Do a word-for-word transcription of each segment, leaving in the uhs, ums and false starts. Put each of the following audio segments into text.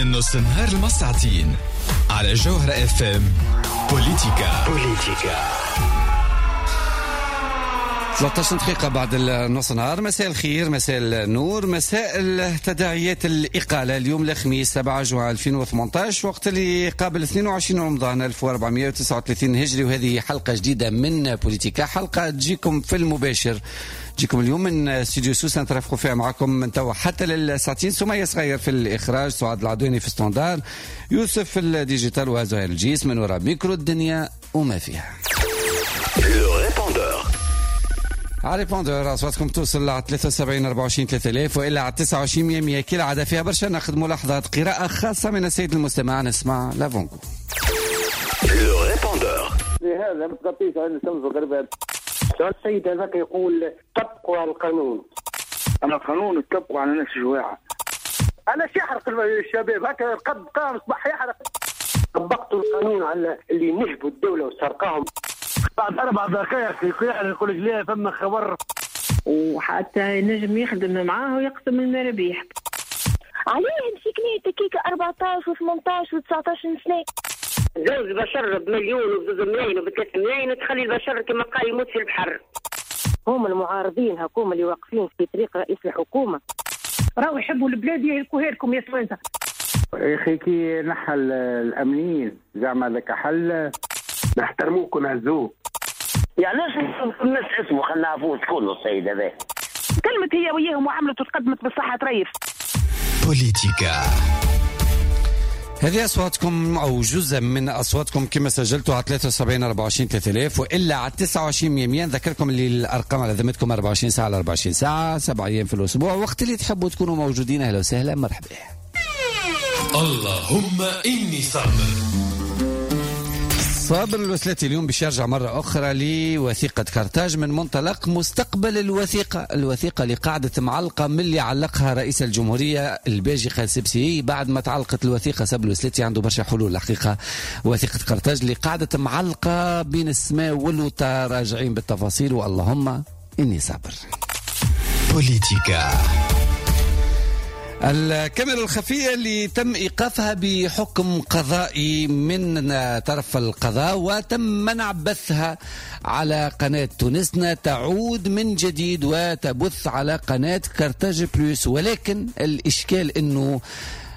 من نص النهار لمساعتين على جوهرة اف ام. بوليتيكا بوليتيكا ثلاثة عشر دقيقة بعد النص نهار. مساء الخير، مساء النور، مساء التداعيات الإقالة. اليوم الخميس سبعة جوان ألفين وثمانية عشر، وقت اللي قابل اثنين وعشرين رمضان ألف وأربعمية وتسعة وثلاثين هجري، وهذه حلقة جديدة من بوليتيكا، حلقة تجيكم في المباشر، تجيكم اليوم من استوديو سوسة، نترافقوا فيها معكم من توا حتى للساعتين. سمية صغير في الإخراج، سعاد العدواني في standard، يوسف في ال digital، وزهير الجيس من وراء ميكرو. الدنيا وما فيها. على répondeur اصواتكم توصل على ثلاثة وسبعين أربعة وعشرين ثلاثة آلاف والا على تسعة وعشرين مية مية. كالعادة فيها برشا ناخذ ملاحظات، قراءة خاصة من السيد المستمع. نسمع l'avant-goût. لهذا ما تغطيش عين الشمس وغربها. السيد هذاك يقول طبقوا على القانون. انا القانون تطبقوا على ناس جواعة. علاش يحرق الشباب هكا؟ القد قام صباح يحرق. طبقتوا القانون على اللي نهبوا الدولة وسرقاهم. بعد اربع دقائق يقول لك لا فما خبر. وحتى نجم يخدم معاه ويقسم المرابيح. عليه مسكني تكيك أربعطاش وثمنطاش وتسعطاش سنة. زوج بشر بمليون وبزوج ملايين وبثلاث ملايين، وتخلي البشر كما قال يموت في البحر. هم المعارضين هكوما اللي واقفين في طريق رئيس الحكومة. راهو يحبوا البلاد يهلكوها لكم يا توانسة. يا اخي كي نحى الامنيين زعما ذاك حل؟ نحترموك ونعزوك. يعني علاش الناس اسمه؟ خلينا نعرفوه شكون السيد هذا. كلمت هي وياهم وعملت وتقدمت بالصحة تريف. بوليتيكا. هذه أصواتكم أو جزء من أصواتكم كما سجلتوا على ثلاثة وسبعين أربعة وعشرين ثلاثة آلاف وإلا على تسعة وعشرين مية مية. نذكركم اللي الأرقام على ذمتكم أربعة وعشرين ساعة على أربعة وعشرين ساعة، سبع أيام في الأسبوع، وقت اللي تحبوا تكونوا موجودين. أهلا وسهلا، مرحبا. اللهم إني صابر. صابر الوسلاتي اليوم باش يرجع مرة أخرى لوثيقة كارتاج من منطلق مستقبل الوثيقة، الوثيقة اللي قعدت معلقة من اللي علقها رئيس الجمهورية الباجي قائد السبسي. بعد ما تعلقت الوثيقة، صابر الوسلاتي عنده برشا حلول الحقيقة. وثيقة كارتاج اللي قعدت معلقة بين السماء والوطا، راجعين بالتفاصيل، واللهم إني صابر. بوليتيكا. الكاميرا الخفية اللي تم إيقافها بحكم قضائي من طرف القضاء وتم منع بثها على قناة تونسنا تعود من جديد وتبث على قناة كارتاج بلوس، ولكن الإشكال أنه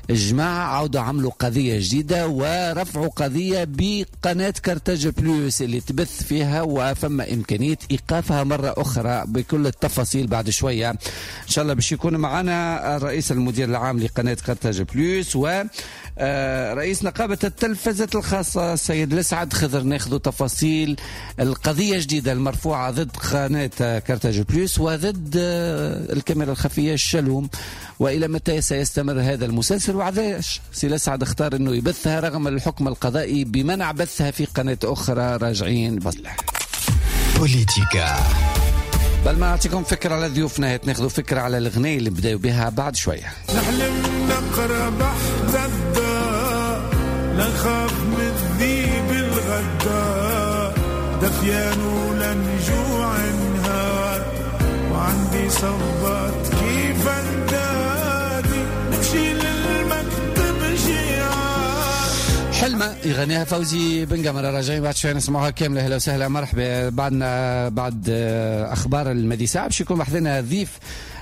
الجماعة عاودوا عملوا قضية جديدة ورفعوا قضية بقناة كارتاج بلوس اللي تبث فيها، وفما إمكانية إيقافها مرة أخرى. بكل التفاصيل بعد شوية إن شاء الله. باش يكون معنا الرئيس المدير العام لقناة كارتاج بلوس و آه، رئيس نقابة التلفزة الخاصة السيد لسعد خضر، ناخذ تفاصيل القضية الجديدة المرفوعة ضد قناة كارتاج بلوس وضد آه، الكاميرا الخفية الشلوم، وإلى متى سيستمر هذا المسلسل، وعلاش سي لسعد اختار أنه يبثها رغم الحكم القضائي بمنع بثها في قناة أخرى. راجعين بصلح. بوليتيكا. بل ما نعطيكم فكرة على ضيوفنا، ناخذ فكرة على الغناية اللي بداوا بها بعد شوية. نحلم نقرا بحث الدار، لا نخاف من الذيب الغدار، دفيان ولا نجوع نهار، وعندي صبات كيف اندادي، نمشي للمكتب جيعان. حلمة يغنيها فوزي بن قمرة، راجعين بعد شوية نسمعوها كاملة. اهلا وسهلا، مرحبا. بعدنا بعد اخبار المدي ساعة باش يكون بحذنا ضيف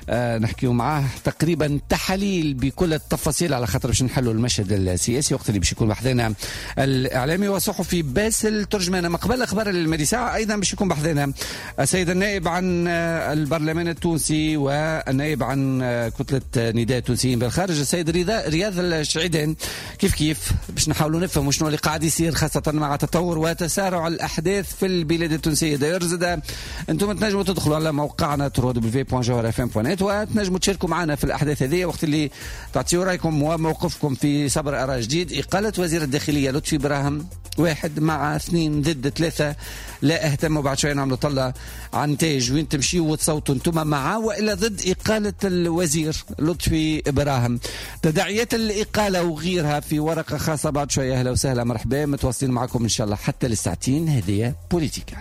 آه، نحكيو معاه تقريبا تحاليل بكل التفاصيل، على خاطر باش نحلوا المشهد السياسي، وقت اللي باش يكون بحذنا الاعلامي وصحفي باسل ترجمان. ما قبل اخبار المدي ساعة ايضا باش يكون بحذنا السيد النائب عن البرلمان التونسي والنائب عن كتلة نداء التونسيين بالخارج السيد رضا رياض الشعيدان، كيف كيف باش نحاولوا نفهموا شنو اللي قاعد يصير، خاصة مع تطور وتسارع الاحداث في البلاد التونسية. d'ailleurs زاد انتم تنجموا تدخلوا على موقعنا دبليو دبليو دبليو دوت جوهرة اف ام دوت نت وتنجموا تشاركوا معنا في الاحداث هذه، وقت اللي تعطيوا رايكم وموقفكم في سبر اراء جديد. اقاله وزير الداخلية لطفي براهم، واحد مع، اثنين ضد، ثلاثة لا اهتموا. بعد شوية نعملوا طلة عن نتائج، وين تمشيوا وتصوتوا انتم، مع والا ضد اقاله الوزير لطفي براهم، تداعيات الاقالة وغيرها في ورقة خاصة بعد شويه. اهلا وسهلا، مرحبا، متواصلين معكم ان شاء الله حتى للساعتين. هذه بوليتيكا.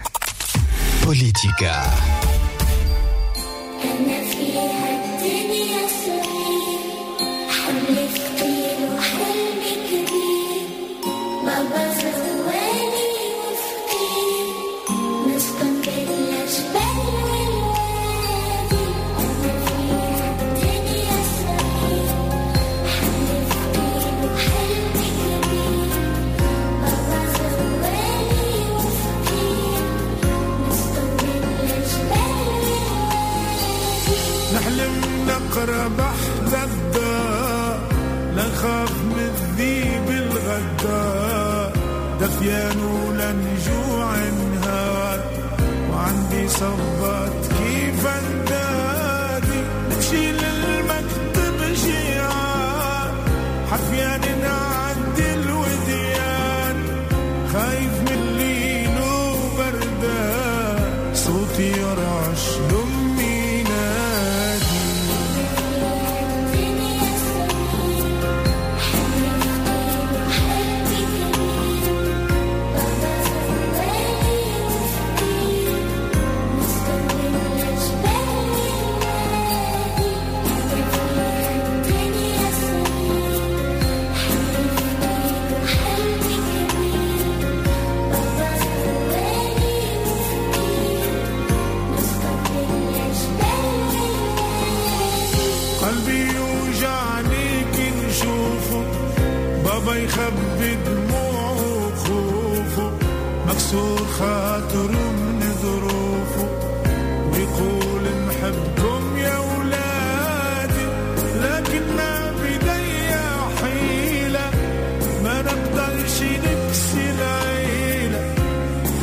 بوليتيكا. أنا فيها الدنيا صغير، حمل ثقيل وحلم. الدار، دفيان ولا نجوع نهار، وعندي صبات كيف اندادي، نمشي للمكتب جيعان، حفيان نعدي الوديان، خايف من الليل وبردان، صوتي يرعش لأمي نادي. قلبي يوجعني كي نشوفه، بابا يخبي دموعه وخوفه، مكسور خاطره من ظروفه، ويقول نحبكم يا ولادي، لكن ما بدي حيلة، ما نقدرش نكسي العيلة،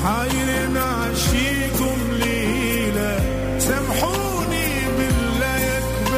حاير نعشيكم ليلة، سامحوني بالله يا كبادي.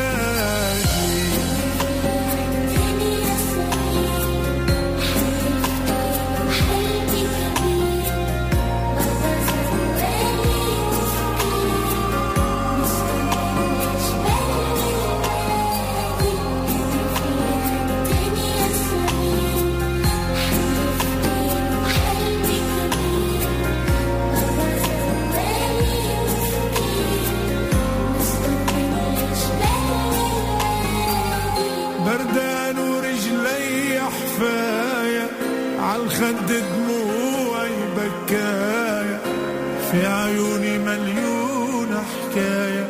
بردان ورجلي حفاية، عالخد دموعي بكاية، في عيوني مليون حكاية،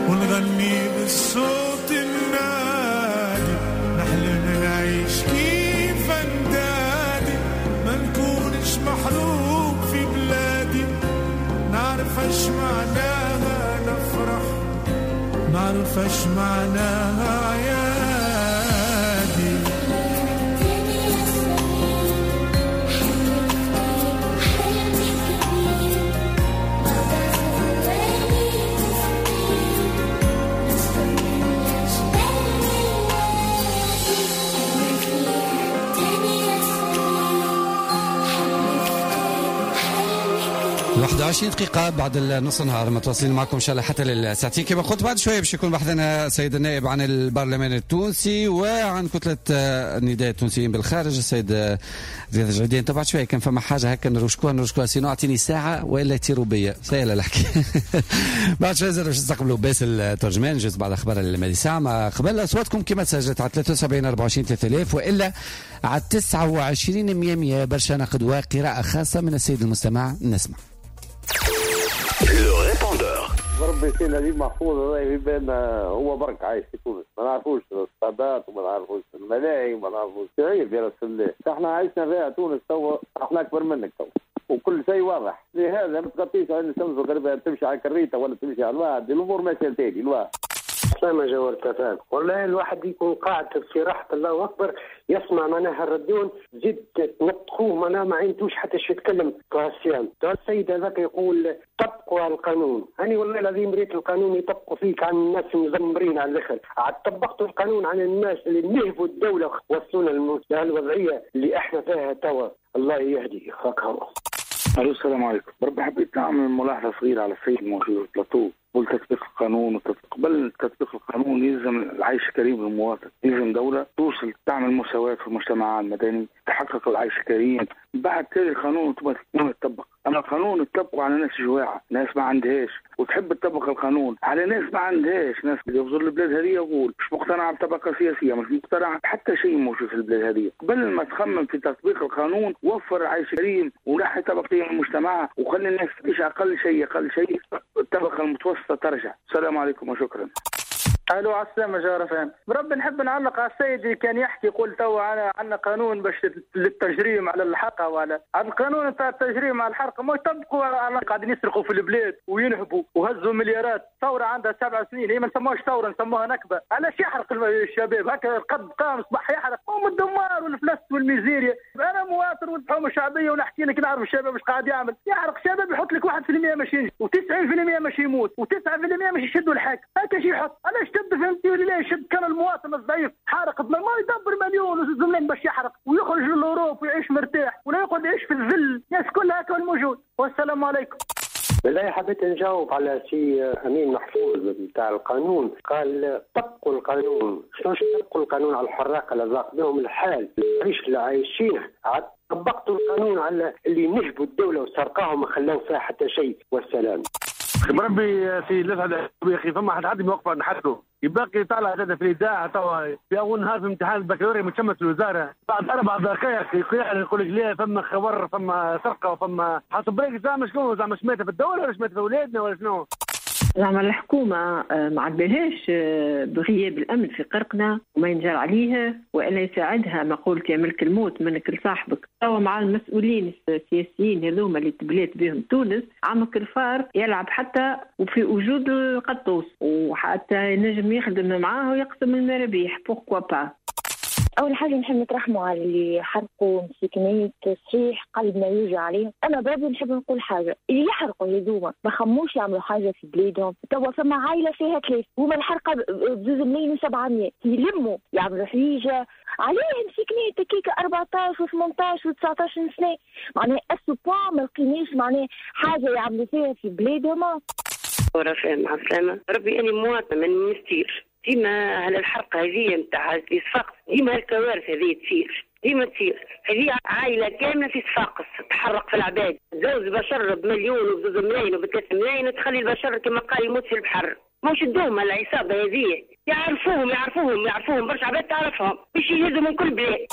ونغني بالصوت النادي، نحلم نعيش كيف اندادي، ما نكونش محروق في بلادي، نعرف اش معناها نفرح، نعرف اش معناها يا. واحد وعشرين دقيقة بعد النص نهار متواصلين معكم إن شاء الله حتى للساعتين كما قلت. بعد شوية باش يكون بحثنا السيد النائب عن البرلمان التونسي وعن كتلة النداء التونسيين بالخارج السيد رياض الجعيدي. بعد شوية كان فما حاجة هكا نرشكوها نرشكوها sinon أعطيني ساعة وإلا يطيروا بيا سهلة الحكاية. بعد شوية زاد باش نستقبلوا باسل الترجمان جزء بعد أخبار الماضي ساعة. ما قبل أصواتكم كما تسجلت على ثلاثة وسبعين أربعة وعشرين ثلاثة آلاف وإلا على تسعة وعشرين مية مية. برشا نقد وقراءة خاصة من السيد المستمع نسمع. Le répondeur. ربي سي نجيب محفوظ هذا يبان هو برك عايش في تونس، ما نعرفوش الصادات وما نعرفوش الملاهي وما نعرفوش عيب يا رسول الله. احنا عايشنا فيها تونس توا، احنا اكبر منك توا وكل شيء واضح، لهذا ما تغطيش عين الشمس وغربها، تمشي على الكريته ولا تمشي على الواد، الامور ماشية لتالي الواد. سلامة جوار تفاهم والله الواحد يكون قاعد في راحة الله أكبر يسمع معناها الرديون زيد تنطقوه معناها ما عندوش حتى شي يتكلم كاسيان. السيد هذاك يقول طبقوا على القانون، أنا والله العظيم ريت القانون يطبقوا فيك عن الناس المزمرين على الآخر، عاد طبقتوا القانون عن الناس اللي نهبوا الدولة وصلونا للوضعية اللي احنا فيها توا. الله يهدي هكا. الو السلام عليكم. بربي حبيت نعمل ملاحظة صغيرة على السيد الموجود في البلاتو. قبل تطبيق القانون قبل تطبيق القانون يلزم العيش الكريم للمواطن، يلزم دولة توصل تعمل مساواة في المجتمع المدني، تحقق العيش الكريم، بعد تالي القانون يتطبق. اما القانون تطبقه على ناس جواعه، ناس ما عندهاش، وتحب تطبق القانون على ناس ما عندهاش، ناس يغزر البلاد هذه يقول مش مقتنعة بطبقه سياسية، مش مقتنعة حتى شيء موجود في البلاد هذه. قبل ما تخمم في تطبيق القانون وفر عيش كريم ونحي طبقية من المجتمع وخلي الناس تعيش اقل شيء اقل شيء الطبقة المتوسطة ترجع. السلام عليكم وشكرا. الو على السلامة جوهرة فهم. بربي نحب نعلق على السيد اللي كان يحكي يقول توا عندنا قانون باش للتجريم على الحرقة، وعلى على القانون نتاع التجريم على الحرقة ما يطبقوا على قاعدين يسرقوا في البلاد وينهبوا وهزوا مليارات. ثورة عندها سبع سنين، هي ما نسموهاش ثورة نسموها نكبه. علاش يحرق الشباب هكا؟ القد قام صباح يحرق، هم الدمار والفلس والميزيريا. انا مواطن والحومه الشعبية ونحكي لك نعرف الشباب اش قاعد يعمل. يحرق شباب يحط لك واحد بالمية ماشي ينجح وتسعين بالمية ماشي يموت وتسعة بالمية ماشي يشدوا الحاكم. هكا شي يحط. علاش تبدا فهمتي ولا لا؟ يشد كان المواطن الضعيف حارق ما يدبر مليون وزوج ملايين باش يحرق ويخرج للاوروب ويعيش مرتاح ولا يقعد يعيش في الذل. الناس كلها هكا الموجود. والسلام عليكم. بالله حبيت نجاوب على سي امين محفوظ نتاع القانون. قال طبقوا القانون. شنو طبقوا القانون على الحراقه اللي ضاق بهم الحال، العيش اللي عايشينه؟ طبقتوا القانون على اللي نهبوا الدولة وسرقاهم ما خلاو فيها حتى شيء. والسلام. بربي في لسعد يا اخي فما حد حد موقفه نحطه يبقى طالع هذا في الاذاعة توا في اول نهار في امتحان البكالوريا متشمت الوزارة بعد اربع دقائق يقول لك لا فما خبر فما سرقه وفما حسب بريك. زعما شنو؟ زعما شماتة في الدولة ولا شماتة في اولادنا ولا شنو؟ زعما الحكومة ما عبالهاش بغياب الأمن في قرقنا وما ينجر عليها وإلا يساعدها مقولة يا ملك الموت منك لصاحبك. توا مع المسؤولين السياسيين هذوما اللي تبلات بهم تونس عمك الفار يلعب حتى وفي وجود القطوس وحتى ينجم يخدم معاه ويقسم المرابيح pourquoi pas. أول حاجة نحب نترحموا على اللي حرقوا مسكينات، صحيح قلبنا يوجع عليهم. أنا بربي نحب نقول حاجة، اللي يحرقوا هذوما ما خموش يعملوا حاجة في بلادهم. توا فما عائلة فيها ثلاث، هما الحرقة بزوز ملايين وسبعمية، يلموا يعملوا حويجة عليه مسكينات كيكة أربعطاش وثمنطاش وتسعطاش سنة، معناها à ce point ما لقيناش معناها حاجة يعملوا فيها في بلادهم. ورفاء مع السلامة. ربي أنا مواطنة من المستير، ديما على الحرقة هذه نتاع صفاقس، ديما الكوارث هذه تصير، ديما تصير. هذه عائلة كاملة في صفاقس تحرق في العباد، زوج بشر بمليون وبزوج ملايين وبثلاث ملايين تخلي البشر كما قال يموت في البحر. مش الدوم العصابة هذه يعرفوهم يعرفوهم يعرفوهم برشا عباد تعرفهم باش يهزوا من كل بلاد.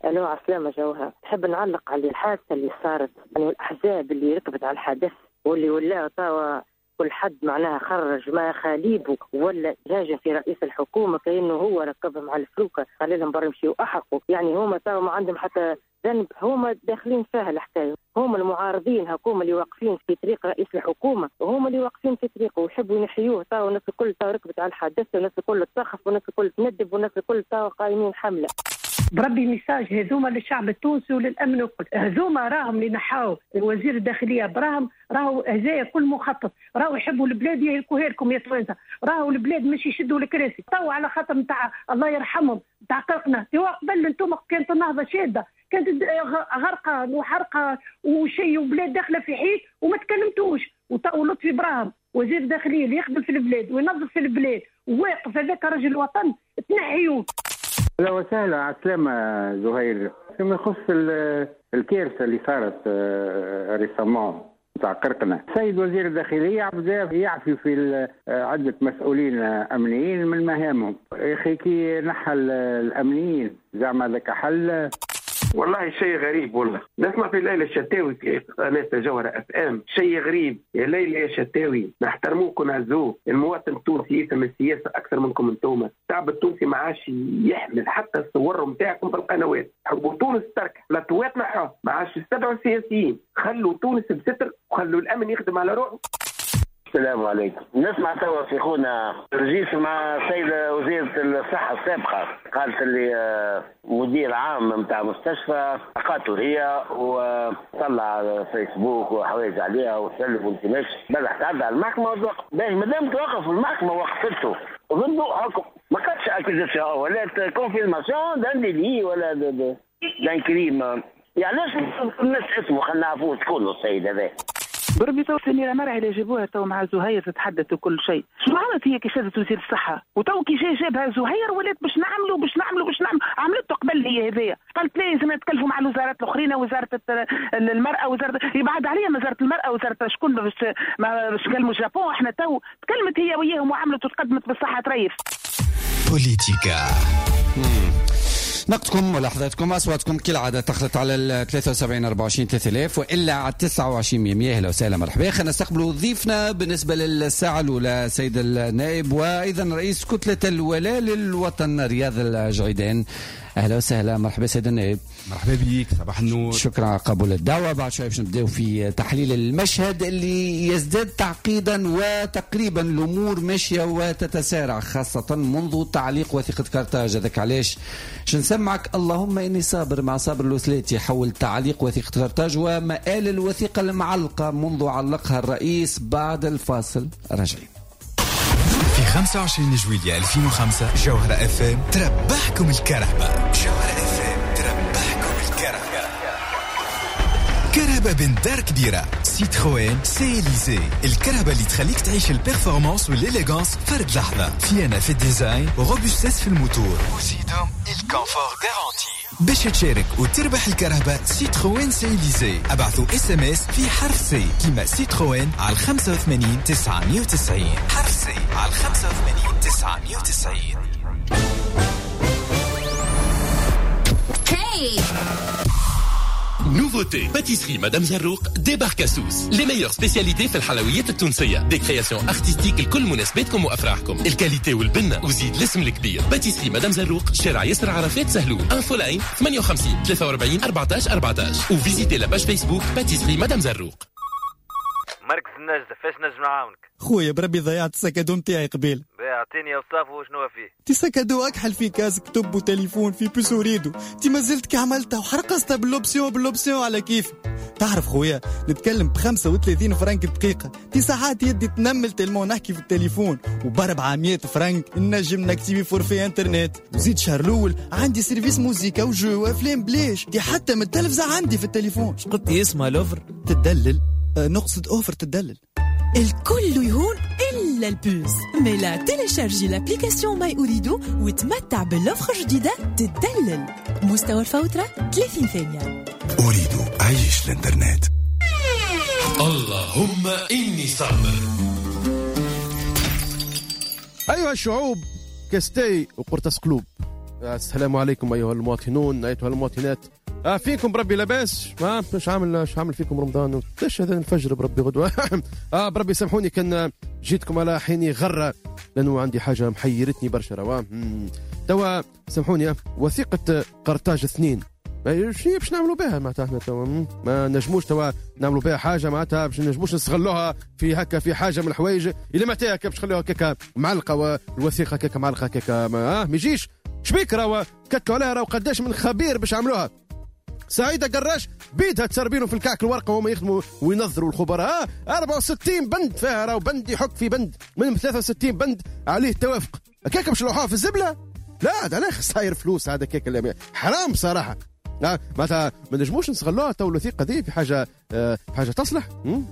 الو عسلامة جوهر. نحب نعلق على الحادثة اللي صارت، يعني الأحزاب اللي ركبت على الحدث واللي ولاو توا كل حد معناها خرج ما خاليبه ولا جاجة في رئيس الحكومة كأنه هو ركبهم على الفلوكة قال لهم برا مشيوا أحرقوا. يعني هما توا ما عندهم حتى ذنب، هما داخلين فيها الحكاية، هما المعارضين هكوما اللي واقفين في طريق رئيس الحكومة، وهما اللي واقفين في طريقه ويحبوا ينحيوه. توا الناس الكل توا ركبت على الحدث والناس الكل تسخف والناس الكل تندب والناس الكل توا قايمين حملة. بربي message هذوما للشعب التونسي وللامن الكل، هذوما راهم اللي نحاو وزير الداخلية براهم، راهو هذايا كل مخطط، راهو يحبوا البلاد يهلكوها لكم يا توانسة، راهو البلاد مش يشدوا الكراسي، تو على خاطر نتاع الله يرحمهم نتاع قرقنا، ايوا قبل انتم كانت النهضة شاده، كانت غرقه وحرقه وشيء وبلاد داخله في حيط وما تكلمتوش، وتو لطفي براهم وزير الداخلية اللي يخدم في البلاد وينظف في البلاد وواقف هذاك رجل الوطن تنحيوه. اهلا وسهلا على السلامة زهير. فيما يخص الكارثة اللي صارت récemment تاع قرقنة، السيد وزير الداخلية بدا يعفي في عدة مسؤولين أمنيين من مهامهم. يا أخي كي نحى الأمنيين زعما ذاك حل؟ والله شيء غريب، والله نسمع في ليلى الشتاوي في قناة جوهرة اف ام، شيء غريب يا ليلى يا شتاوي، نحترموك ونعزوك، المواطن التونسي يفهم السياسة أكثر منكم انتوما، الشعب التونسي ما عادش يحمل حتى الصور نتاعكم في القنوات، حبوا تونس تركح، لا توات نحوها، ما عادش يستدعوا السياسيين، خلوا تونس بستر وخلوا الأمن يخدم على روحه. السلام عليكم. نسمع توا في خونا رجيس مع السيدة وزيرة الصحة السابقة، قالت اللي مدير عام نتاع مستشفى قاتل هي وطلع فيسبوك وحوايج عليها وسلف وانت ماشي، بلح تعدى على المحكمة وتوقف، باهي مادام توقف المحكمة وقفته ضده حكم، ما كانش accusation ولا confirmation d'un délit ولا d'un crime، يعني علاش الناس اسمه خلينا نعرفوه شكون السيد هذا. بربي تو سميرة مرعي اللي جابوها تو مع زهير تتحدث وكل شيء، شنو عملت هي كي شادت وزير الصحة؟ وتو كي جا جابها زهير ولات باش نعملوا باش نعملوا باش نعملوا، عملته قبل هي هذايا، قالت لازم نتكلفوا مع الوزارات الأخرين، وزارة المرأة وزارة يبعد عليها وزارة المرأة وزارة شكون باش باش نكلموا الجابون، احنا تو تكلمت هي وياهم وعملت وتقدمت بالصحة تريف. بوليتيكا. نقدكم ملاحظاتكم اصواتكم كالعادة تخلط على ال ثلاثة وسبعين أربعة وعشرين ثلاثة آلاف والا على تسعة وعشرين مية. اهلا وسهلا مرحبا. خلينا نستقبلوا ضيفنا بالنسبة للساعة الاولى سيد النائب وايضا رئيس كتلة الولاء للوطن رياض الجعيدان. اهلا وسهلا مرحبا سيد النائب. مرحبا بك، صباح النور. شكرا على قبول الدعوة. بعد شوي باش نبداو في تحليل المشهد اللي يزداد تعقيدا وتقريبا الامور ماشية وتتسارع، خاصة منذ تعليق وثيقة كارتاج. هذاك علاش باش نسمعك اللهم اني صابر مع صابر الوسلاتي حول تعليق وثيقة كارتاج ومآل الوثيقة المعلقة منذ علقها الرئيس. بعد الفاصل راجعين. في خمسة وعشرين جويلية ألفين وخمسة جوهرة اف ام تربحكم الكرهبة. جوهرة اف ام تربحكم الكرهبة. كرهبة بين دار كبيرة، Citroën C-Elysée، الكرهبة اللي تخليك تعيش ال performance وال élégance فرد لحظة. فيانا في ال design و robustesse في الموتور، وزيدهم ال confort garanti. باش تشارك وتربح الكرهبة Citroën C-Elysée، ابعثوا SMS في حرف C كيما سيتروين على خمسة وثمانين تسعمية وتسعين. حرف C على خمسة وثمانين تسعمية وتسعين. Hey! Nouveauté, pâtisserie Madame Zarrouk débarque à Sousse. Les meilleures spécialités في الحلويات التونسية. Des créations artistiques لكل مناسباتكم وأفراحكم. ال qualité والبنة وزيد الاسم الكبير. Pâtisserie Madame Zarrouk، شارع ياسر عرفات سهلول. Infoline ثمانية وخمسين ثلاثة وأربعين أربعة عشر أربعة عشر. و visitez la page Facebook Pâtisserie Madame Zarrouk. مركز النجدة، فاش نجم نعاونك؟ خويا بربي ضيعت ال sac à dos نتاعي قبيل. اعطيني اوصافه وشنو فيه. تي sac à dos اكحل فيه casque كتب وتليفون فيه puce Ooredoo. تي مازلت كي عملتها وحرقصتها بال option بال option على كيف. تعرف خويا نتكلم ب خمسة وثلاثين فرنك دقيقة. تي ساعات يدي تنمل tellement نحكي في التليفون، وب أربعمية فرنك نجم نكتيفي forfait internet. وزيد شهر الاول عندي service موزيكا و jeux وافلام بلاش. تي حتى من التلفزة عندي في التليفون. قلت اسمها l'offre تدلل. أه نقصد offre تدلل. الكل يهون إلا ال puce. ميلا téléchargez l'application My Ooredoo وتمتع بال offre الجديدة تدلل. مستوى الفوترة ثلاثين ثانية. Ooredoo، عيش الانترنت. اللهم إني صابر. أيها الشعوب كاستي وقرطاس قلوب. السلام عليكم أيها المواطنون أيتها المواطنات. آه فيكم بربي لاباس؟ ما مش عامل مش عامل فيكم رمضان ايش هذا الفجر بربي غدوه. اه بربي سامحوني كان جيتكم على حيني غره، لانه عندي حاجة محيرتني برشا. روا توا سامحوني، وثيقة قرطاج اثنين شنو باش نعملوا بها؟ معناتها احنا توا ما نجموش توا نعملوا بها حاجة، معناتها باش نجموش نستغلوها في هكا في حاجة من الحوايج اللي معناتها هكا باش نخلوها هكاك معلقه، والوثيقه هكاك معلقه هكاك ما, ما يجيش. شبيك راهو كتلوا عليها، راهو قداش من خبير باش عملوها. سعيدة قراش بيدها تسربينه في الكعك الورقة وهم يخدموا وينظروا الخبراء. أربعة وستين بند فيها، راهو بند يحك في بند من ثلاثة وستين بند عليه توافق. هكاك باش لوحوها في الزبلة؟ لا هذا علاش صاير فلوس هذا كيك حرام صراحة. معناتها ما نجموش نستغلوها تو الوثيقة دي في حاجة آه في حاجة تصلح.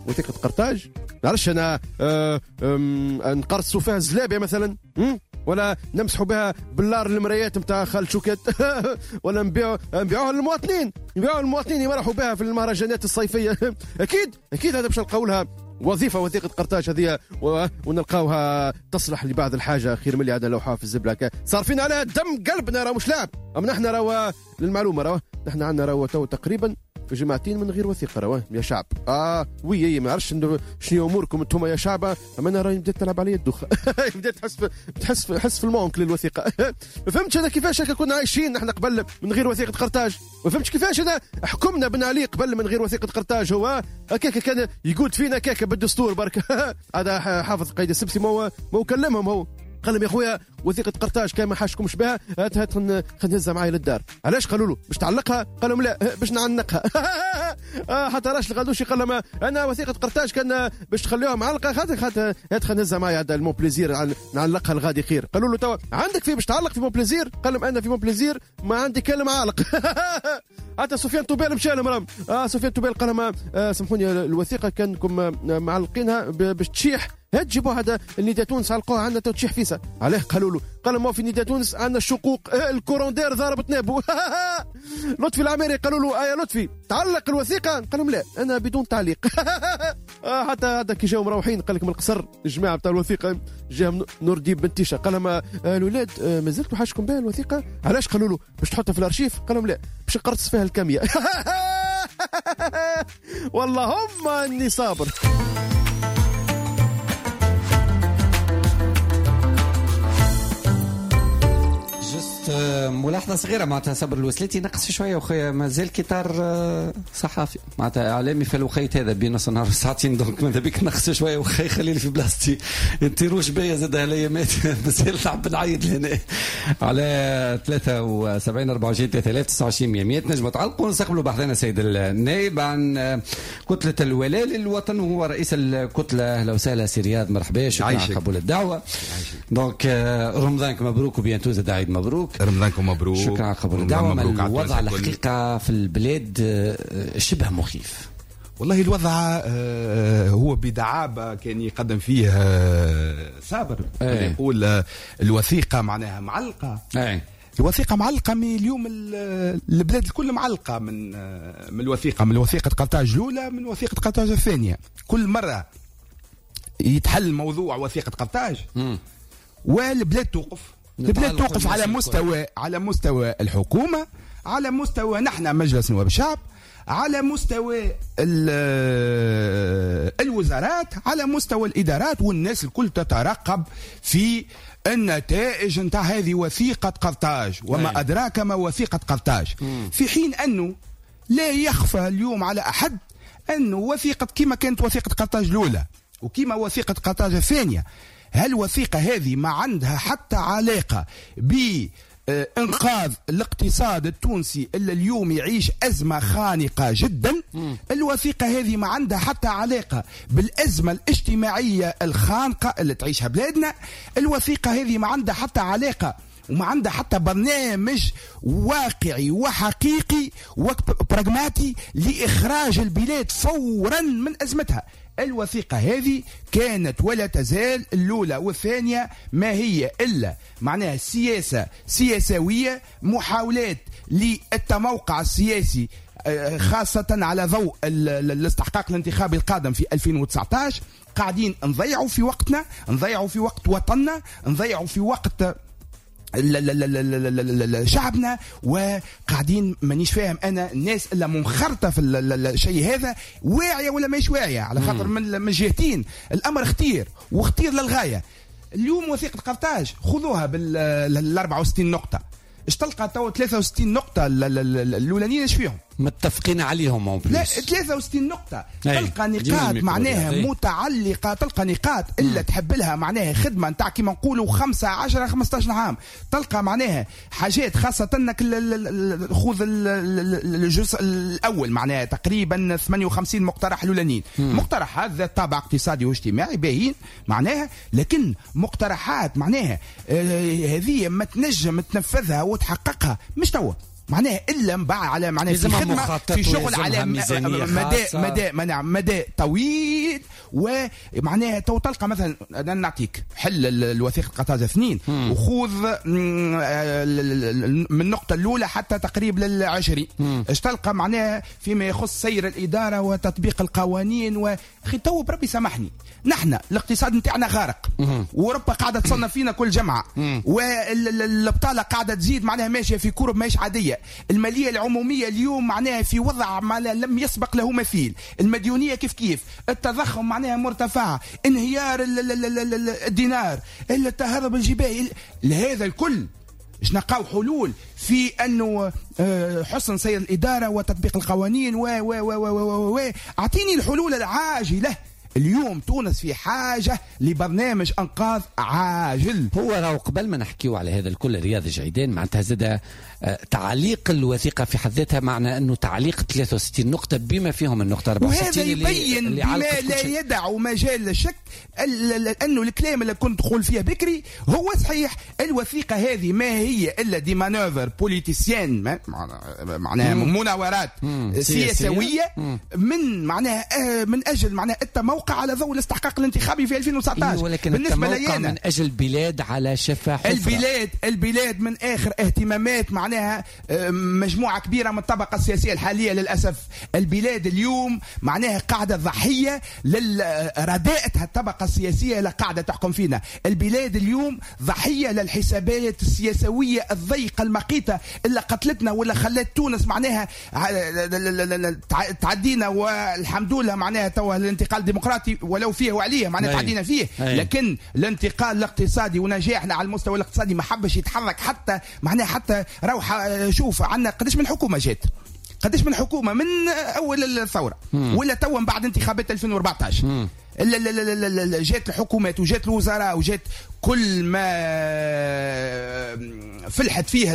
وثيقة قرطاج نعرفش أنا آه نقرصوا فيها الزلابية مثلا، ولا نمسحوا بها باللار المرايات نتاع خالد شوكات، ولا نبيعوا نبيعوها للمواطنين، نبيعوها للمواطنين يمرحوا بها في المهرجانات الصيفية. اكيد اكيد هذا باش نلقاو لها وظيفة وثيقة قرطاج هذه ونلقاوها تصلح لبعض الحاجة خير من اللي عندنا لوحة في الزبله. صارفين عليها دم قلبنا راه مش لعب. اما نحن راه للمعلومة راه نحن عندنا راه تو تقريبا جماعتين من غير وثيقة راه يا شعب. اه oui ما عرفتش شنو اموركم انتم يا شعب، اما انا راني بديت تلعب عليا الدوخه. بديت تحس في تحس في حس في ال manque للوثيقه. ما فهمتش انا كيفاش هكا كنا عايشين نحن قبل من غير وثيقة قرطاج. ما فهمتش كيفاش انا حكمنا بن علي قبل من غير وثيقة قرطاج. هو هكاك كان يقود فينا كاكا بالدستور برك. هذا حافظ قيد السبسي ما هو كلمهم، هو قال لهم يا خويا وثيقة قرطاج كان ما حاشكمش بها هات هات خلينا نهزها معايا للدار. علاش قالوا له باش تعلقها؟ قال لهم لا باش نعنقها. حتى راش الغدوشي قال لهم انا وثيقة قرطاج كان باش تخليوها معلقه خاطر خاطر هات خلينا نهزها معايا هذا ال Monplaisir نعلقها الغادي خير. قالوا له توا عندك في باش تعلق في Monplaisir؟ قال لهم انا في Monplaisir ما عندي كلمة عالق. حتى سفيان طوبال مشى لهم راهم. اه سفيان طوبال قال لهم آه سامحوني الوثيقة كانكم معلقينها باش تشيح، هات جيبوا هذا النداء تونس علقوها عندنا تو تشيح فيسا. علاه قالوا له؟ قالوا ما في نداء تونس عندنا الشقوق، ال courant d'air ضربت نابو. لطفي العميري قالوا له آه يا لطفي تعلق الوثيقة؟ قال لهم لا انا بدون تعليق. آه حتى هذا كي جاو مروحين قال لك من القصر الجماعة بتاع الوثيقة جاهم نور الدين بن تيشه قال لهم آه الاولاد آه مازلتوا حاجكم بها الوثيقة؟ علاش؟ قالوا له باش تحطها في الارشيف؟ قال لهم لا باش نقرص فيها الكاميه. والله هم اني صابر. ملاحظة صغيرة معناتها صبر الوسلاتي نقص شوية وخيا مازال كيطار صحافي معناتها اعلامي في الوقيت هذا بين نص نهار وساعتين، donc ماذا بك نقص شوية وخي خليني في بلاصتي نطيروش بيا زاد هالايامات مازال نحب نعيط لهنا على ثلاثة وسبعين أربعة وعشرين ثلاثة آلاف تسعة وعشرين مية تنجموا تعلقوا. نستقبلوا بحثنا سيد النائب عن كتلة الولاء للوطن وهو رئيس الكتلة. اهلا وسهلا سي رياض، مرحبا، شكرا على قبول الدعوة. donc رمضانك مبروك و bientôt زاد عيد مبروك. رمضانكم مبروك، شكرا على قبول الدعوة. الوضع الحقيقة في البلاد شبه مخيف والله. الوضع هو بدعابة كان يقدم فيه صابر ايه. يقول الوثيقة معناها معلقة ايه. الوثيقة معلقة من اليوم، البلاد الكل معلقة من من الوثيقة، من وثيقة قرطاج الأولى، من وثيقة قرطاج الثانية. كل مرة يتحل موضوع وثيقة قرطاج والبلاد توقف. البلاد توقف على مستوى على مستوى الحكومة، على مستوى نحن مجلس نواب الشعب، على مستوى الوزارات، على مستوى الإدارات، والناس الكل تترقب في النتائج نتاع هذه وثيقة قرطاج وما أدراك ما وثيقة قرطاج. في حين أنه لا يخفى اليوم على أحد أنه وثيقة كما كانت وثيقة قرطاج الأولى وكما وثيقة قرطاج الثانية، هالوثيقة هذه ما عندها حتى علاقة بإنقاذ الاقتصاد التونسي اللي اليوم يعيش أزمة خانقة جدا. الوثيقة هذه ما عندها حتى علاقة بالأزمة الاجتماعية الخانقة اللي تعيشها بلادنا. الوثيقة هذه ما عندها حتى علاقة وما عندها حتى برنامج واقعي وحقيقي وبراغماتي لإخراج البلاد فورا من أزمتها. الوثيقة هذه كانت ولا تزال الأولى والثانية ما هي إلا معناها سياسة سياسوية، محاولات للتموقع السياسي خاصة على ضوء الاستحقاق الانتخابي القادم في ألفين وتسعة عشر. قاعدين نضيعوا في وقتنا، نضيعوا في وقت وطننا، نضيعوا في وقت شعبنا، وقاعدين مانيش فاهم انا الناس الا منخرطه في الشيء هذا واعية ولا ماهيش واعية، على خاطر من من جهتين الامر خطير وخطير للغاية. اليوم وثيقة قرطاج خذوها بال أربعة وستين نقطة، اش تلقى تو ثلاثة وستين نقطة الاولانيين اش فيهم؟ متفقين عليهم en plus. لا ثلاثة وستين نقطة تلقى نقاط معناها متعلقة، تلقى نقاط إلا تحب لها معناها خدمة نتاع كيما نقولوا خمسة عشرة خمسة عشر عام، تلقى معناها حاجات خاصة انك خذ الجزء الأول معناها تقريبا ثمانية وخمسين مقترح الأولانيين، مقترحات ذات طابع اقتصادي واجتماعي باهين معناها، لكن مقترحات معناها هذه ما تنجم تنفذها وتحققها مش توا معناها الا من بعد على معناها في خدمة في شغل على مدى مدى مدى مدى طويل. ومعناها تو تلقى مثلا انا نعطيك حل الوثيقة قرطاج اثنين وخذ من النقطة الاولى حتى تقريب للعشرين، اش تلقى معناها فيما يخص سير الادارة وتطبيق القوانين. و اخي تو بربي سامحني، نحن الاقتصاد نتاعنا غارق، واوروبا قاعدة تصنف فينا كل جمعه، والبطالة قاعدة تزيد معناها ماشية في courbe ماهيش عادية، المالية العمومية اليوم معناها في وضع ما لم يسبق له مثيل، المديونية كيف كيف، التضخم معناها مرتفع، انهيار الدينار، التهرب الجبائي، لهذا الكل باش نلقاو حلول في انه حسن سير الادارة وتطبيق القوانين و و و و و اعطيني الحلول العاجلة. اليوم تونس في حاجة لبرنامج أنقاذ عاجل. هو راهو قبل ما نحكيو على هذا الكل رياض جعيدان معناتها زاد تعليق الوثيقة في حد ذاتها، معنى أنه تعليق ثلاثة وستين نقطة بما فيهم النقطة أربعة وستين، وهذا يبين اللي بما لا يدع مجال للشك أنه الكلام اللي كنت تقول فيه بكري هو صحيح. الوثيقة هذه ما هي إلا des manœuvres politiciennes، معناها مناورات سياسوية من معناها من أجل معناها التموقع التموقع على ضوء الاستحقاق الانتخابي في ألفين وتسعطاش. ولكن بالنسبة التموقع لي من اجل بلاد على شفا حفرة. البلاد البلاد من اخر اهتمامات معناها مجموعة كبيرة من الطبقة السياسية الحالية للاسف. البلاد اليوم معناها قاعدة ضحية لرداءة الطبقة السياسية اللي قاعدة تحكم فينا. البلاد اليوم ضحية للحسابات السياسويه الضيقه المقيته اللي قتلتنا ولا خلت تونس معناها تعدينا، والحمد لله معناها توا الانتقال الديمقراطي ولو فيه وعليه معناها تعدينا فيه. أي. لكن الانتقال الاقتصادي ونجاحنا على المستوى الاقتصادي ما حبش يتحرك حتى معناها حتى روحه. شوف عندنا قداش من حكومة جات، قداش من حكومة من اول الثورة ولا توا من بعد انتخابات ألفين وأربعطاش جات الحكومات وجات الوزراء وجات كل ما فلحت فيها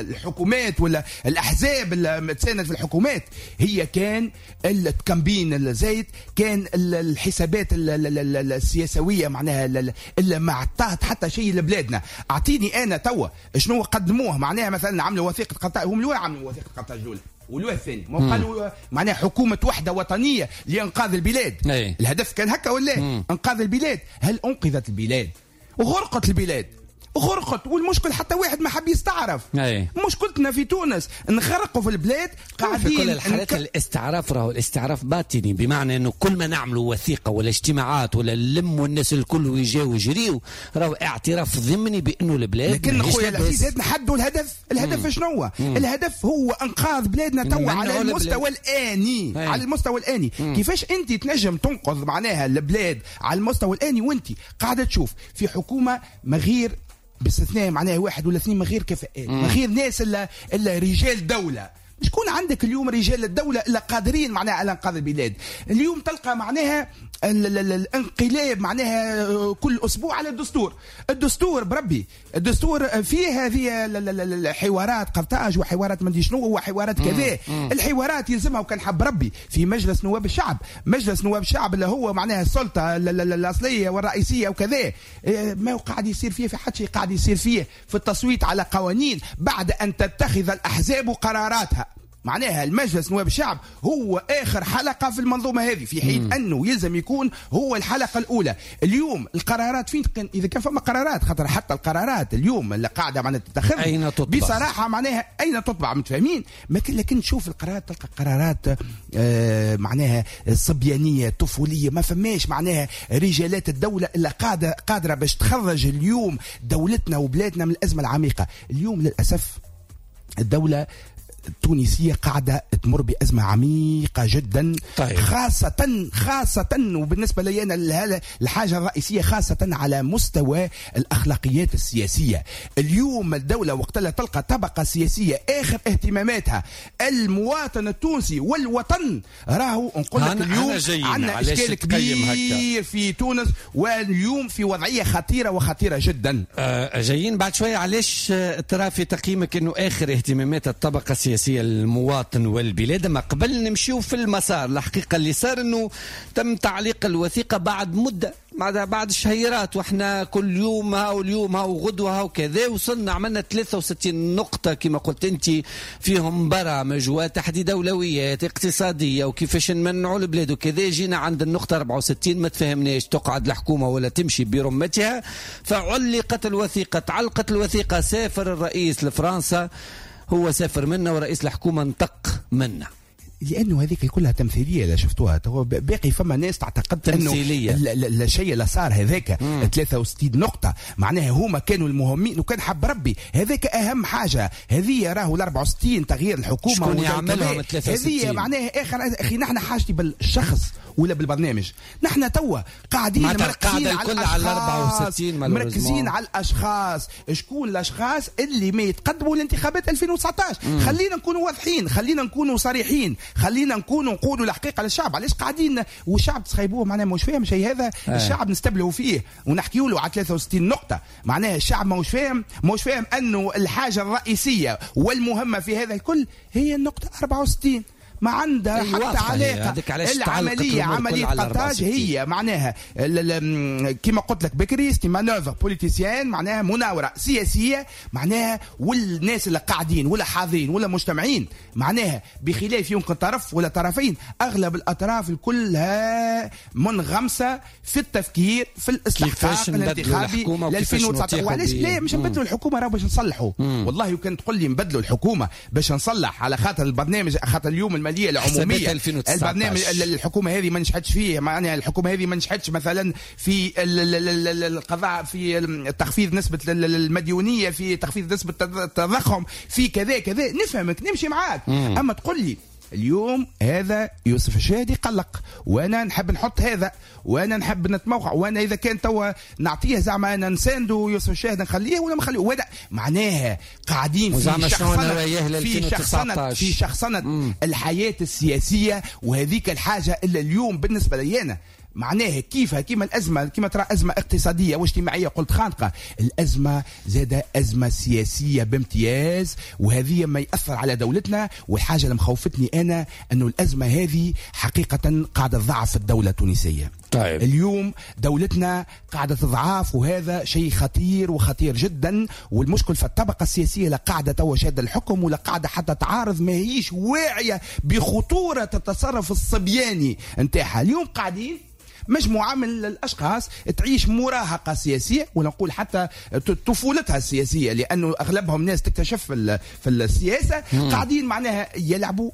الحكومات ولا الاحزاب اللي تساند في الحكومات، هي كان التكمبين الزايد، كان الحسابات السياسويه معناها اللي ما عطات حتى شيء لبلادنا. اعطيني انا توا شنو قدموه معناها، مثلا عملوا وثيقة قرطاج، هم الأولى عملوا وثيقة قرطاج الاولى والوه الثاني، ما قالوا معناها حكومة وحدة وطنية لإنقاذ البلاد. أي. الهدف كان هكا ولا مم. إنقاذ البلاد. هل أنقذت البلاد؟ وغرقت البلاد، غرقت. والمشكل حتى واحد ما حب يستعرف. أي. مشكلتنا في تونس نغرقوا في البلاد قاعدين. في كل الحالات نك... الاستعراف راهو الاستعراف باطني، بمعنى انه كل ما نعملوا وثيقة ولا اجتماعات ولا نلموا الناس الكل ويجاو يجريو، راهو اعتراف ضمني بانه البلاد. لكن خويا العزيز نحدوا الهدف. الهدف شنو هو؟ الهدف هو انقاذ بلادنا توا على المستوى الاني. أي. على المستوى الاني. مم. كيفاش انت تنجم تنقذ معناها البلاد على المستوى الاني وانت قاعدة تشوف في حكومة ما غير باستثناء معناها واحد ولا اثنين من غير كفاءات، من غير ناس الا الا رجال دولة. شكون عندك اليوم رجال الدولة الا قادرين معناها على انقاذ البلاد؟ اليوم تلقى معناها الانقلاب معناها كل اسبوع على الدستور. الدستور بربي الدستور فيه هذه الحوارات قرطاج وحوارات مندي شنو وحوارات كذا. الحوارات يلزمها وكان حب ربي في مجلس نواب الشعب، مجلس نواب الشعب اللي هو معناها السلطة الاصلية والرئيسيه وكذا. ما قاعد يصير فيه في حد شيء، قاعد يصير فيه في التصويت على قوانين بعد ان تتخذ الاحزاب قراراتها. معناها المجلس نواب الشعب هو آخر حلقة في المنظومة هذه، في حين مم. أنه يلزم يكون هو الحلقة الأولى. اليوم القرارات فين تقن... إذا كان فما قرارات، خاطر حتى القرارات اليوم اللي قاعدة معناها تتخذ أين تطبع؟ بصراحة معناها أين تطبع متفاهمين؟ لكن تشوف القرارات تلقى قرارات آه معناها صبيانية طفولية، ما فماش معناها رجالات الدولة اللي قادرة قادرة باش تخرج اليوم دولتنا وبلادنا من الأزمة العميقة. اليوم للأسف الدولة التونسية قاعدة تمر بأزمة عميقة جدا. طيب. خاصة خاصة وبالنسبة لي أنا الحاجة الرئيسية خاصة على مستوى الأخلاقيات السياسية. اليوم الدولة وقت لا تلقى طبقة سياسية آخر اهتماماتها المواطن التونسي والوطن، راهو نقول لك اليوم عندنا إشكال كبير في تونس، واليوم في وضعية خطيرة وخطيرة جدا. أه جايين بعد شوية. علاش ترى في تقييمك أنه آخر اهتمامات الطبقة السياسية المواطن والبلاد؟ ما قبل نمشيو في المسار الحقيقة اللي صار انه تم تعليق الوثيقة بعد مدة، بعد بعد شهيرات، واحنا كل يوم ها واليوم ها وغدوة ها وكذا، وصلنا عملنا ثلاثة وستين نقطة كما قلت انت، فيهم برامج وتحديد اولويات اقتصادية وكيفاش نمنعوا البلاد وكذا. جينا عند النقطة أربعة وستين ما تفهمناش تقعد الحكومة ولا تمشي برمتها، فعلقت الوثيقة، تعلقت الوثيقة. سافر الرئيس لفرنسا، هو سافر منا ورئيس الحكومة انطق منا، لأنه هذيك كلها تمثيلية. لا شفتوها باقي فما ناس تعتقد أنه الشيء اللي صار هذاك ثلاثة وستين نقطة معناها هما كانوا المهمين، وكان حب ربي هذاك أهم حاجة. هذه راهو ال أربعة وستين تغيير الحكومة شكون يعملهم ثلاثة وستين؟ هذه معناها آخر. أخي نحن حاجتي بالشخص ولا بالبرنامج؟ نحن توا قاعدين مركزين على الأشخاص، مركزين على الأشخاص. شكون الأشخاص اللي ما يتقدموا لانتخابات ألفين وتسعطاش؟ خلينا نكونوا واضحين، خلينا نكونوا صريحين، خلينا نكونوا نقولوا الحقيقة للشعب. علاش قاعدين والشعب تسخيبوه معناها مش فاهم شيء هذا؟ آه. الشعب نستبلهوا فيه ونحكيوا له على ثلاثة وستين نقطة، معناها الشعب مش فاهم، مش فاهم انه الحاجة الرئيسية والمهمه في هذا الكل هي النقطة أربعة وستين. ما عندها حتى علاقة. العملية عملية قرطاج هي معناها كما قلت لك بكري c'est manœuvre politicienne، معناها مناوره سياسية، معناها والناس اللي قاعدين ولا حاضرين ولا مجتمعين معناها بخلاف يمكن طرف ولا طرفين، اغلب الاطراف كلها منغمسه في التفكير في الاستحقاق الانتخابي ل ألفين وتسعطاش. وعلاش لا مش نبدلوا الحكومة راه باش نصلحوا. والله وكان تقول لي نبدلوا الحكومة باش نصلح على خاطر البرنامج، خاطر اليوم المالية العمومية البرنامج الحكومة هذه ما نجحتش فيه، معناها الحكومة هذه ما نجحتش مثلا في القضاء، في تخفيض نسبه المديونيه، في تخفيض نسبه التضخم، في كذا كذا، نفهمك نمشي معاك. مم. اما تقول لي اليوم هذا يوسف الشاهدي قلق وانا نحب نحط هذا وانا نحب نتموقع، وانا اذا كان توا نعطيه زعما انا نساندو يوسف الشاهد نخليه ولا ما نخليه، ولا معناها قاعدين في شخصنة في شخصنة في شخصنة الحياة السياسية. وهذيك الحاجة اللي اليوم بالنسبة لي انا معناها كيفها كيما الأزمة، كيما ترى أزمة اقتصادية واجتماعية قلت خانقة، الأزمة زادة أزمة سياسية بامتياز، وهذه ما يأثر على دولتنا. والحاجة اللي مخوفتني أنا أنه الأزمة هذه حقيقة قاعدة تضعف الدولة التونسية. طيب. اليوم دولتنا قاعدة تضعف، وهذا شيء خطير وخطير جدا. والمشكل في الطبقة السياسية لا قاعدة توا شادة الحكم ولا قاعدة حتى تعارض، ما هيش واعية بخطورة التصرف الصبياني نتاعها. اليوم قاعدين مجموعة من الأشخاص تعيش مراهقة سياسية، ولا نقول حتى طفولتها السياسية، لأنه أغلبهم ناس تكتشف في السياسة. مم. قاعدين معناها يلعبوا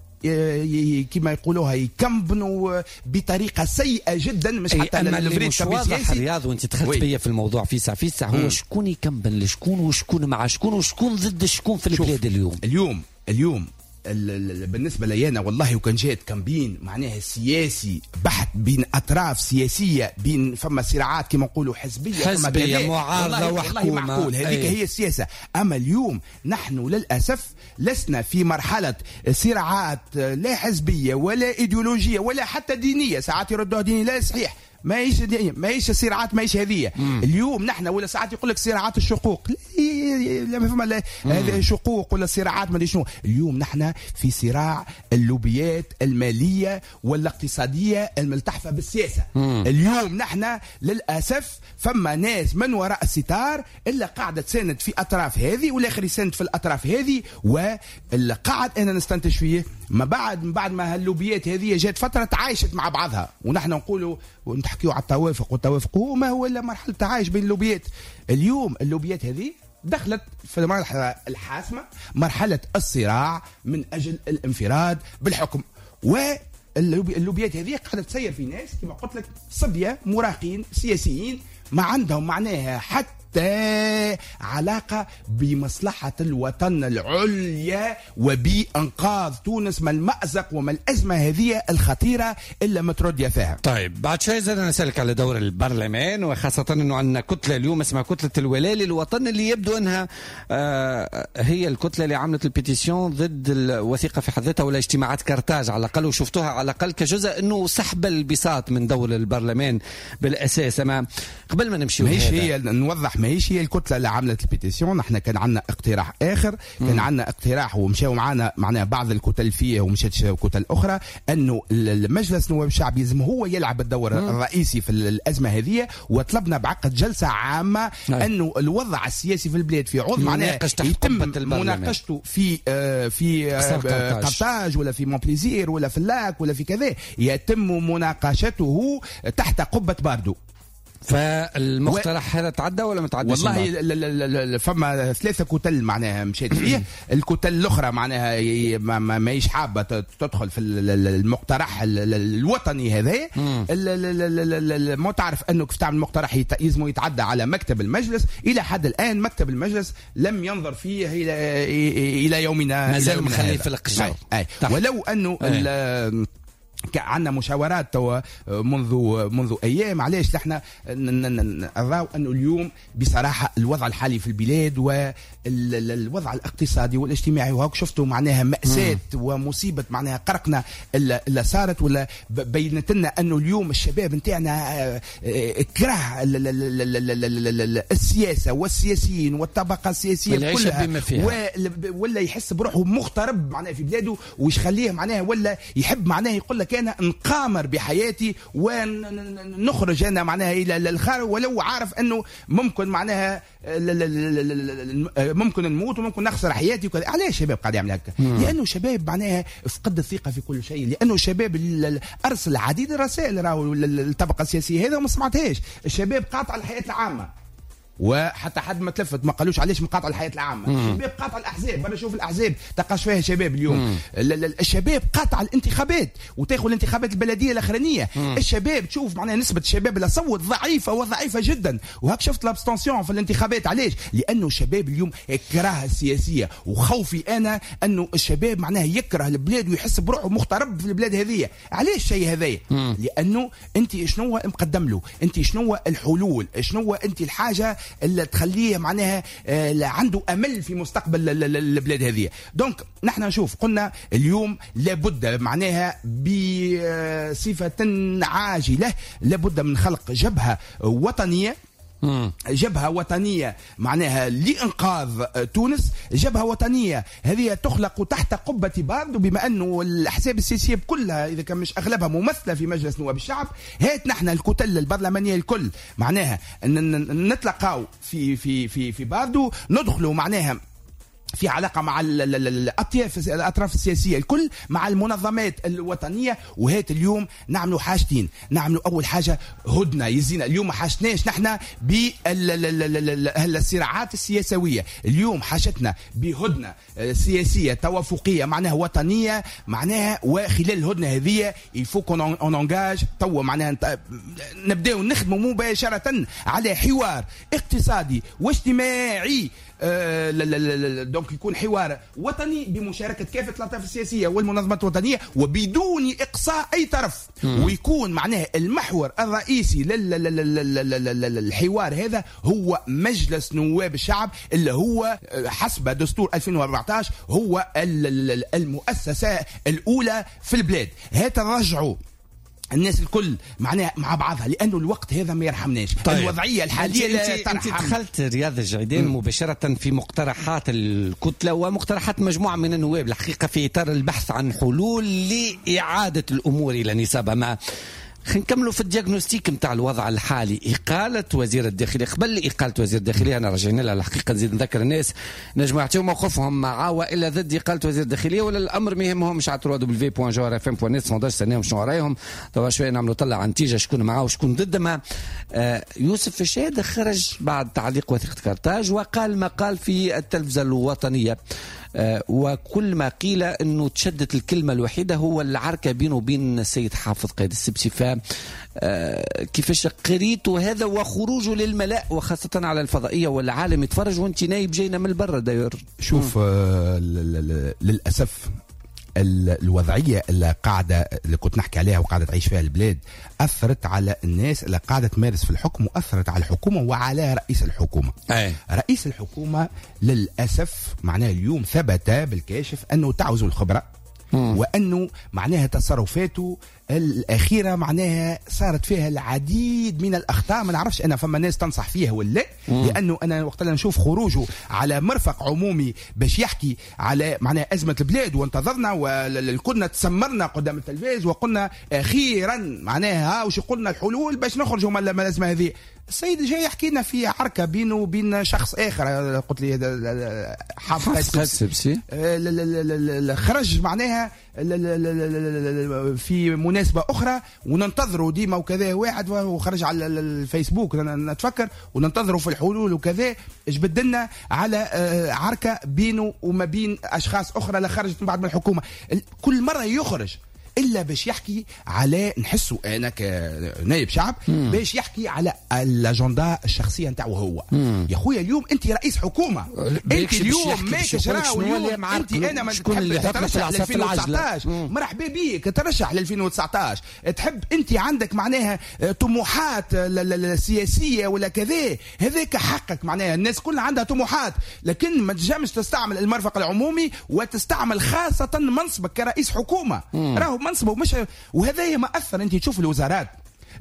كما يقولوها يكمبنوا بطريقة سيئة جدا، مش حتى أما اللي مش واضح رياض وانت دخلت بيا في الموضوع في ساعة في ساعة، هو شكون يكمبن لشكون وشكون مع شكون وشكون ضد شكون في البلاد اليوم. اليوم اليوم بالنسبة لي أنا والله وكان جات campagne معناها سياسي بحت بين أطراف سياسية، بين فما صراعات كما نقولوا حزبية، حزبية معارضة وحكومة، معقول هذيك هي السياسة. أما اليوم نحن للأسف لسنا في مرحلة صراعات لا حزبية ولا إيديولوجية ولا حتى دينية، ساعات يردوها دينية، لا صحيح، ما هيش ما هيش صراعات، ما هيش هذه. اليوم نحن ولا ساعات يقول لك صراعات الشقوق، لا ما فما لا شقوق ولا صراعات ما شنو. اليوم نحن في صراع اللوبيات المالية والاقتصادية الملتحفه بالسياسة. مم. اليوم نحن للاسف فما ناس من وراء الستار الا قاعدة تساند في اطراف هذه والاخر يساند في الاطراف هذه، واللي قاعد انا نستنتج فيه ما بعد من بعد ما هاللوبيات هذه جات فترة تعايشت مع بعضها، ونحن نقولوا ونحكيوا على التوافق والتوافق هو ما هو الا مرحلة تعايش بين اللوبيات. اليوم اللوبيات هذه دخلت في المرحلة الحاسمة، مرحلة الصراع من اجل الانفراد بالحكم، واللوبيات هذه قاعدة تسير في ناس كما قلت لك صبية مراهقين سياسيين ما عندهم معناها حتى علاقة بمصلحة الوطن العليا وبإنقاذ تونس من المأزق ومن الأزمة هذه الخطيرة إلا ما تردي فيها. طيب بعد شوي زاد نسألك على دور البرلمان، وخاصة أنه عندنا كتلة اليوم اسمها كتلة الولاء للوطن، اللي يبدو أنها آه هي الكتلة اللي عملت ال pétition ضد الوثيقة في حد ذاتها ولا اجتماعات كارتاج على الأقل، وشفتوها على الأقل كجزء أنه سحب البساط من دور البرلمان بالأساس. أما قبل ما نمشي ماهيش هي نوضح ماهيش هي الكتلة اللي عملت ال pétition، نحن كان عندنا اقتراح اخر، كان عندنا اقتراح ومشاو معنا معناها بعض الكتل فيه ومشات كتل اخرى، انه المجلس النواب الشعبي لازم هو يلعب الدور مم. الرئيسي في الازمة هذه، وطلبنا بعقد جلسه عامة انه الوضع السياسي في البلاد في عوض معناها يتم مناقشته في آه في آه قرطاج ولا في مونبليزير ولا في اللاك ولا في كذا، يتم مناقشته تحت قبه باردو. فالمقترح و... هذا تعدى ولا ما تعداش؟ والله ل... ل... فما ثلاثة كتل معناها مشيت فيه، الكتل الأخرى معناها ما ماهيش حابة تدخل في المقترح الوطني هذا. ما تعرف أنه كيف تعمل مقترح يلزم يتعدى على مكتب المجلس، إلى حد الآن مكتب المجلس لم ينظر فيه إلى إلى يومنا، مازال مخليه في القجر. ولو أنه ال... عندنا مشاورات توا منذ منذ ايام. علاش نحن نراو انه اليوم بصراحة الوضع الحالي في البلاد والوضع الاقتصادي والاجتماعي، وهاك شفتوا معناها مأساة ومصيبه معناها قرقنا اللي صارت، ولا بينت لنا انه اليوم الشباب نتاعنا كره السياسة والسياسيين والطبقة السياسية كلها، ولا يحس بروحه مغترب معناها في بلاده، ويش خليه معناها ولا يحب معناها يقول لك انا نقامر بحياتي ونخرج انا معناها الى الخارج، ولو عارف انه ممكن معناها ممكن نموت وممكن نخسر حياتي وكذا. علاش الشباب قاعد يعمل هكا؟ لانه الشباب معناها فقد الثقة في كل شيء، لانه الشباب ارسل العديد الرسائل راهو للطبقة السياسية هذا وما سمعتهاش. الشباب قاطع الحياة العامة، وحتى حد ما تلفت ما قالوش علاش مقاطع الحياة العامة. الشباب قاطع الاحزاب، برا شوف الاحزاب تلقاش فيها شباب اليوم. الشباب قاطع الانتخابات، وتاخذ الانتخابات البلدية الاخرانية. الشباب تشوف معناها نسبه الشباب اللي صوت ضعيفة وضعيفه جدا، وهاك شفت l'abstention في الانتخابات. علاش؟ لانه الشباب اليوم كره السياسية، وخوفي انا انه الشباب معناها يكره البلاد ويحس بروحه مغترب في البلاد هذه. علاش الشيء هذايا؟ لانه انت شنو مقدم له؟ انت شنو الحلول؟ شنو انت الحاجة اللي تخليه معناها عنده امل في مستقبل البلاد هذه؟ donc نحن نشوف قلنا اليوم لابد معناها بصفة عاجله لابد من خلق جبهة وطنية، جبهة وطنية معناها لإنقاذ تونس. جبهة وطنية هذه تخلق تحت قبة باردو، بما أنه الأحزاب السياسية كلها إذا كان مش أغلبها ممثلة في مجلس نواب الشعب. هات نحن الكتل البرلمانية الكل معناها نتلقاو في في في في باردو، ندخلوا معناها في علاقة مع الأطياف الأطراف السياسية الكل، مع المنظمات الوطنية. وهات اليوم نعملوا حاجتين، نعملوا أول حاجة هدنة يزينا. اليوم ما حاجتناش نحن بالصراعات السياسوية، اليوم حاجتنا بهدنة سياسية توافقية معناها وطنية معناها. وخلال الهدنة هذه il faut qu'on engage توا معناها نبداو نخدموا مباشرة على حوار اقتصادي واجتماعي، donc يكون حوار وطني بمشاركة كافة الأطراف السياسية والمنظمات الوطنية وبدون إقصاء أي طرف. مم. ويكون معناه المحور الرئيسي للحوار هذا هو مجلس نواب الشعب، اللي هو حسب دستور ألفين وأربعة عشر هو المؤسسة الأولى في البلاد. هات نرجعوا الناس الكل معناها مع بعضها، لأنه الوقت هذا ما يرحمناش. طيب. الوضعية الحالية لا ترحم. أنت دخلت رياض الجعيدان مباشرة في مقترحات الكتلة ومقترحات مجموعة من النواب الحقيقة في إطار البحث عن حلول لإعادة الأمور إلى نصابها. ما خلينا نكملوا في ال diagnostic نتاع الوضع الحالي. إقالة وزير الداخلية، قبل إقالة وزير الداخلية أنا رجعنا لها الحقيقة، نزيد نذكر الناس نجموا يعطيو موقفهم مع وإلا ضد إقالة وزير الداخلية ولا الأمر ما يهمهمش. على دبليو دبليو دوت جوهرة اف ام دوت نت sondage استناهم شنو رايهم. توا شوية نعملوا طلع نتيجة شكون معاه وشكون ضد. ما آه يوسف الشاهد خرج بعد تعليق وثيقة كارتاج وقال ما قال في التلفزة الوطنية، وكل ما قيل انه تشدت الكلمة الوحيدة هو العركه بينه وبين السيد حافظ قايد السبسي. ف كيفاش قريتوا هذا وخروجه للملاء وخاصة على الفضائية والعالم يتفرج وانت نايب جاينا من البر داير؟ شوف آه للاسف الوضعية اللي قاعدة اللي كنت نحكي عليها وقاعدة تعيش فيها البلاد اثرت على الناس اللي قاعدة تمارس في الحكم، واثرت على الحكومة وعلى رئيس الحكومة. أي. رئيس الحكومة للاسف معناه اليوم ثبت بالكاشف انه تعوز الخبرة، وانه معناها تصرفاته الأخيرة معناها صارت فيها العديد من الأخطاء. ما نعرفش أنا فما ناس تنصح فيها ولا، لأنه أنا وقت اللي نشوف خروجه على مرفق عمومي باش يحكي على معناها أزمة البلاد، وانتظرنا وكنا تسمرنا قدام التلفاز وقلنا أخيرا معناها وش قلنا الحلول باش نخرجوا من الأزمة هذه. السيد جاي يحكي لنا في عركة بينه وبين شخص آخر، قلت لي حافظ السبسي خرج معناها في مناسبة أخرى وننتظروا ديما وكذا واحد، وخرج على الفيسبوك نتفكر وننتظروا في الحلول وكذا، جبدلنا على عركة بينه وما بين أشخاص أخرى لا خرجت من بعد من الحكومة. كل مرة يخرج الا باش يحكي على، نحسه انا كنائب شعب، باش يحكي على الاجندة الشخصية نتاعو هو. مم. يا خويا اليوم انت رئيس حكومة، انت اليوم ماكش راهو اليوم انت انا ما تحب تترشح ل ألفين وتسعطاش، مرحبا بيك ترشح ل ألفين وتسعطاش، تحب انت عندك معناها طموحات سياسية ولا كذا، هذاك حقك، معناها الناس كلها عندها طموحات، لكن ما تنجمش تستعمل المرفق العمومي وتستعمل خاصة منصبك كرئيس حكومة. راهو منصبه مش، وهذا ما اثر. انت تشوف الوزارات،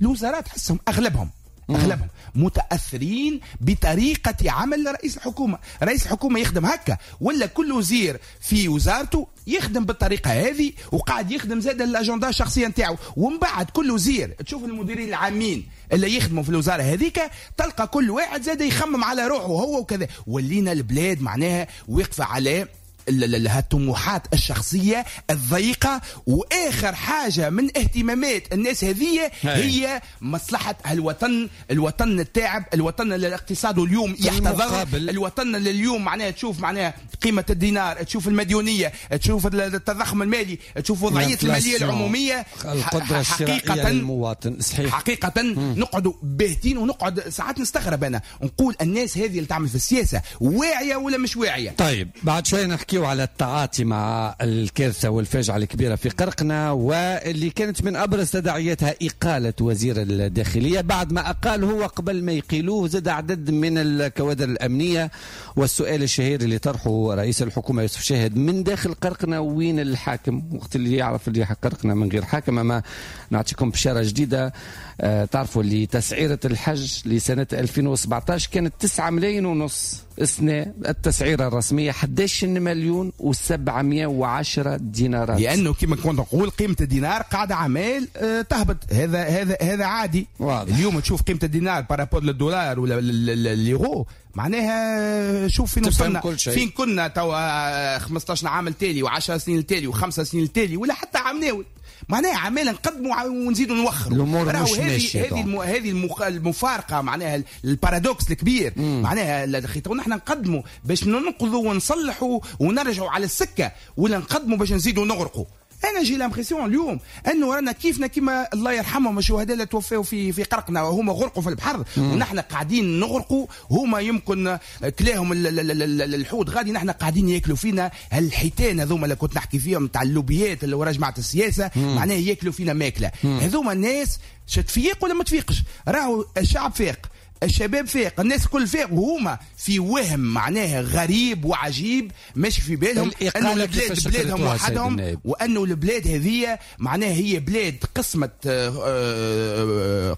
الوزارات تحسهم اغلبهم اغلبهم متاثرين بطريقة عمل رئيس الحكومة. رئيس الحكومة يخدم هكا، ولا كل وزير في وزارته يخدم بالطريقة هذه، وقاعد يخدم زاد الاجندة الشخصية نتاعو. ومن بعد كل وزير تشوف المديرين العامين اللي يخدموا في الوزارة هذيك، تلقى كل واحد زاد يخمم على روحه هو وكذا. ولينا البلاد معناها واقفة على الطموحات الشخصية الضيقة، وآخر حاجة من اهتمامات الناس هذه هي مصلحة الوطن، الوطن التاعب، الوطن اللي الاقتصاد اليوم يحتضر، الوطن اللي اليوم معناها تشوف معناها قيمة الدينار، تشوف المديونية، تشوف التضخم المالي، تشوف وضعية المالية العمومية، القدرة الشرائية للمواطن. صحيح، حقيقة نقعد باهتين، ونقعد ساعات نستغرب أنا نقول الناس هذه اللي تعمل في السياسة واعية ولا مش واعية. طيب بعد شوية نحكي على التعاطي مع الكارثة والفاجعة الكبيرة في قرقنة، واللي كانت من أبرز تداعياتها إقالة وزير الداخلية بعد ما أقال هو قبل ما يقيلوه زاد عدد من الكوادر الأمنية. والسؤال الشهير اللي طرحه رئيس الحكومة يوسف شاهد من داخل قرقنة، وين الحاكم وقت اللي يعرف اللي قرقنة من غير حاكم؟ أما نعطيكم بشارة جديدة، آه تعرفوا اللي تسعيرة الحج لسنة ألفين وسبعطاش كانت تسعة ملايين ونص، السنة التسعيرة الرسمية أحد عشر مليون وسبعمائة وعشرة دينارات، لأنه كما كنت نقول قيمة الدينار قاعدة عمال تهبط. هذا هذا هذا عادي. واضح. اليوم تشوف قيمة الدينار par rapport للدولار ولا اليورو، معناها شوف فين وصلنا، فين كنا توا خمسطاش عام التالي وعشر سنين التالي وخمسة سنين التالي ولا حتى عام ناول، معناها عمال نقدموا ونزيدوا نوخروا. الامور مش ماشية. هذه الم... هذه المخ... المفارقة معناها ال paradoxe الكبير. مم. معناها نحن نقدموا باش ننقذوا ونصلحوا ونرجعوا على السكة، ولا نقدموا باش نزيدوا نغرقوا. انا j'ai l'impression اليوم انه رانا كيفنا كيما الله يرحمهم الشهداء اللي توفوا في في قرقنا وهما غرقوا في البحر، ونحن قاعدين نغرقوا. هما يمكن كلاهم الحوت غادي، نحن قاعدين ياكلوا فينا هالحيتان هذوما اللي كنت نحكي فيهم تاع اللوبيات اللي ورا جماعة السياسة، معناها ياكلوا فينا ماكله. هذوما الناس تفيق ولا ما تفيقش؟ راهو الشعب فاق، الشباب فاق، الناس كل فاق، وهما في وهم معناها غريب وعجيب ماشي في بالهم انه البلاد بلادهم وحدهم، وانه البلاد هذه معناها هي بلاد قسمه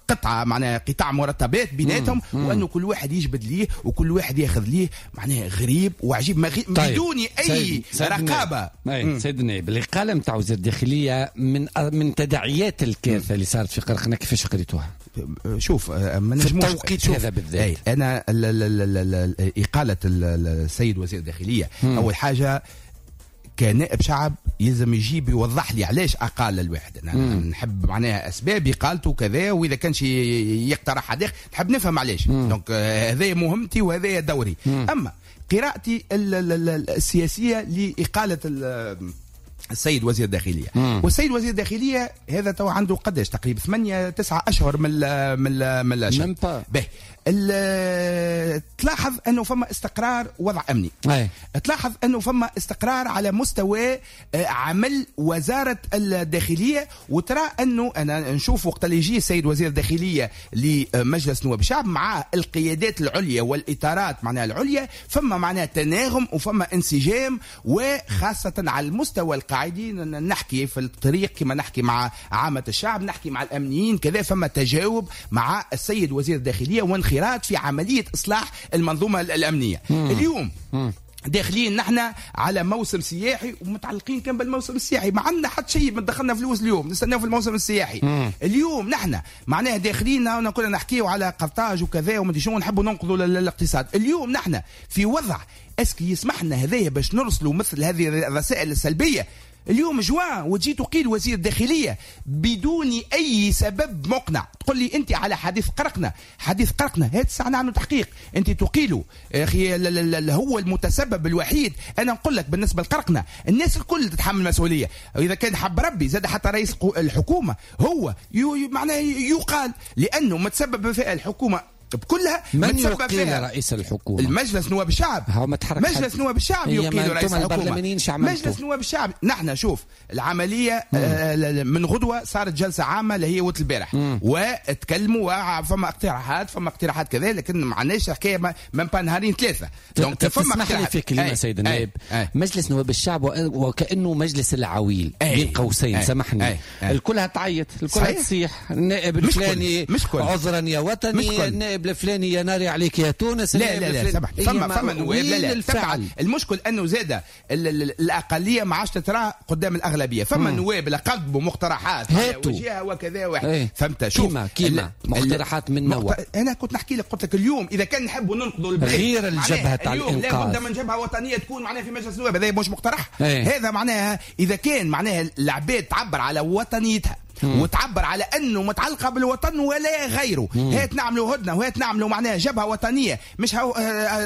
قطعه معناها قطاع مرتبات بيناتهم، وانه كل واحد يجبد ليه وكل واحد ياخذ ليه، معناها غريب وعجيب طيب. بدون اي سيد رقابه. سيد النائب، الاقالة نتاع وزير الداخلية من من تداعيات الكارثة اللي صارت في قرقنة كيفاش قريتوها؟ شوف ما نجموش التوقيت هذا بالذات. انا ال ال ال ال اقاله السيد وزير الداخلية مم. اول حاجة كنائب شعب يلزم يجيب يوضح لي علاش اقال الواحد. انا مم. نحب معناها اسباب اقالته كذا، واذا كانش يقترح هذاك نحب نفهم علاش. donc هذا مهمتي وهذا دوري. مم. اما قراءتي السياسية لاقاله السيد وزير الداخلية، مم. والسيد وزير الداخلية هذا تو عنده قداش تقريبا ثمانية تسعة أشهر من ال من ال من الأشهر. به تلاحظ أنه فما استقرار وضع أمني. أي. تلاحظ أنه فما استقرار على مستوى عمل وزارة الداخلية، وترى أنه أنا نشوف وقت اللي يجي السيد وزير الداخلية لمجلس نواب الشعب مع القيادات العليا والإطارات معناها العليا، فما معناها تناغم وفما انسجام، وخاصة على المستوى القاعدي نحكي في الطريق كما نحكي مع عامة الشعب، نحكي مع الأمنيين كذا، فما تجاوب مع السيد وزير الداخلية وانخراط في عملية إصلاح المنظومة الأمنية. مم. اليوم مم. داخلين نحن على موسم سياحي ومتعلقين كان بالموسم السياحي، ما عندنا حتى شيء، ما دخلنا فلوس اليوم نستناو في الموسم السياحي. مم. اليوم نحن معناها داخلين كنا نحكيو على قرطاج وكذا وما شنو، نحبوا ننقذوا الاقتصاد. اليوم نحن في وضع est-ce que يسمح لنا هذايا باش نرسلوا مثل هذه الرسائل السلبية اليوم جوان وتجي تقيل وزير الداخلية بدون اي سبب مقنع، تقول لي انت على حديث قرقنا، حديث قرقنا هات الساعة نعملوا تحقيق، انت تقيلة اخي هو المتسبب الوحيد. انا نقول لك بالنسبة لقرقنا الناس الكل تتحمل مسؤولية، اذا كان حب ربي زاد حتى رئيس الحكومة هو معناه يقال لانه متسبب في الحكومة بكلها. من يقيل رئيس الحكومة؟ المجلس نواب الشعب. مجلس نواب الشعب يقيل رئيس الحكومة. مجلس نواب الشعب. نحن شوف العملية آه من غدوة صارت جلسة عامة اللي هي وقت البارح وتكلموا، فما اقتراحات فما اقتراحات كذا، لكن ما عندناش حكاية من با نهارين ثلاثة. donc فما اقتراحات. في كلمة سيد النائب، مجلس نواب الشعب وكأنه مجلس العويل بين قوسين، سامحني، الكلها تعيط، الكلها تصيح، النائب الفلاني عذرا يا وطني، النائب الفلاني يا ناري عليك يا تونس. لا لا لا سامح، فما فما نواب لا لا تبع. المشكل انه زاد الاقلية ما عادش تترى قدام الاغلبية، فما نواب اللي قدموا مقترحات وجهه وكذا واحد. ايه. فهمت؟ شوف كيما كيما مقترحات من نوع. انا كنت نحكي لك قلت لك اليوم اذا كان نحبوا ننقذوا البلاد غير الجبهة تاع الانقاذ، لا بد من جبهة وطنية تكون معناها في مجلس النواب، هذا مش مقترح. ايه. هذا معناها اذا كان معناها العباد تعبر على وطنيتها مم. وتعبر على انه متعلقه بالوطن ولا غيره، هات نعملوا هدنة وهات نعملوا معناها جبهة وطنية، مش هو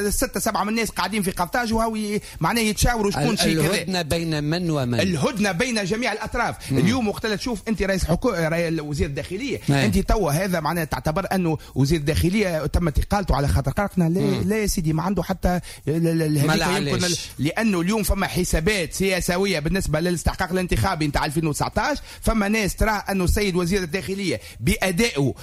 ستة سبعة من الناس قاعدين في قرطاج وهو معناها يتشاوروا شكون شيء كذا. الهدنة بين من ومن؟ الهدنة بين جميع الاطراف. مم. اليوم وقت تشوف انت رئيس حكومة وزير الداخلية، انت توا هذا معناها تعتبر انه وزير الداخلية تمت اقالته على خاطر قرقنا. لا مم. لا يا سيدي، ما عنده حتى يمكن، لانه اليوم فما حسابات سياسويه بالنسبة للاستحقاق الانتخابي نتاع ألفين وتسعطاش. فما ناس ترى أنه السيد وزير الداخلية بأدائه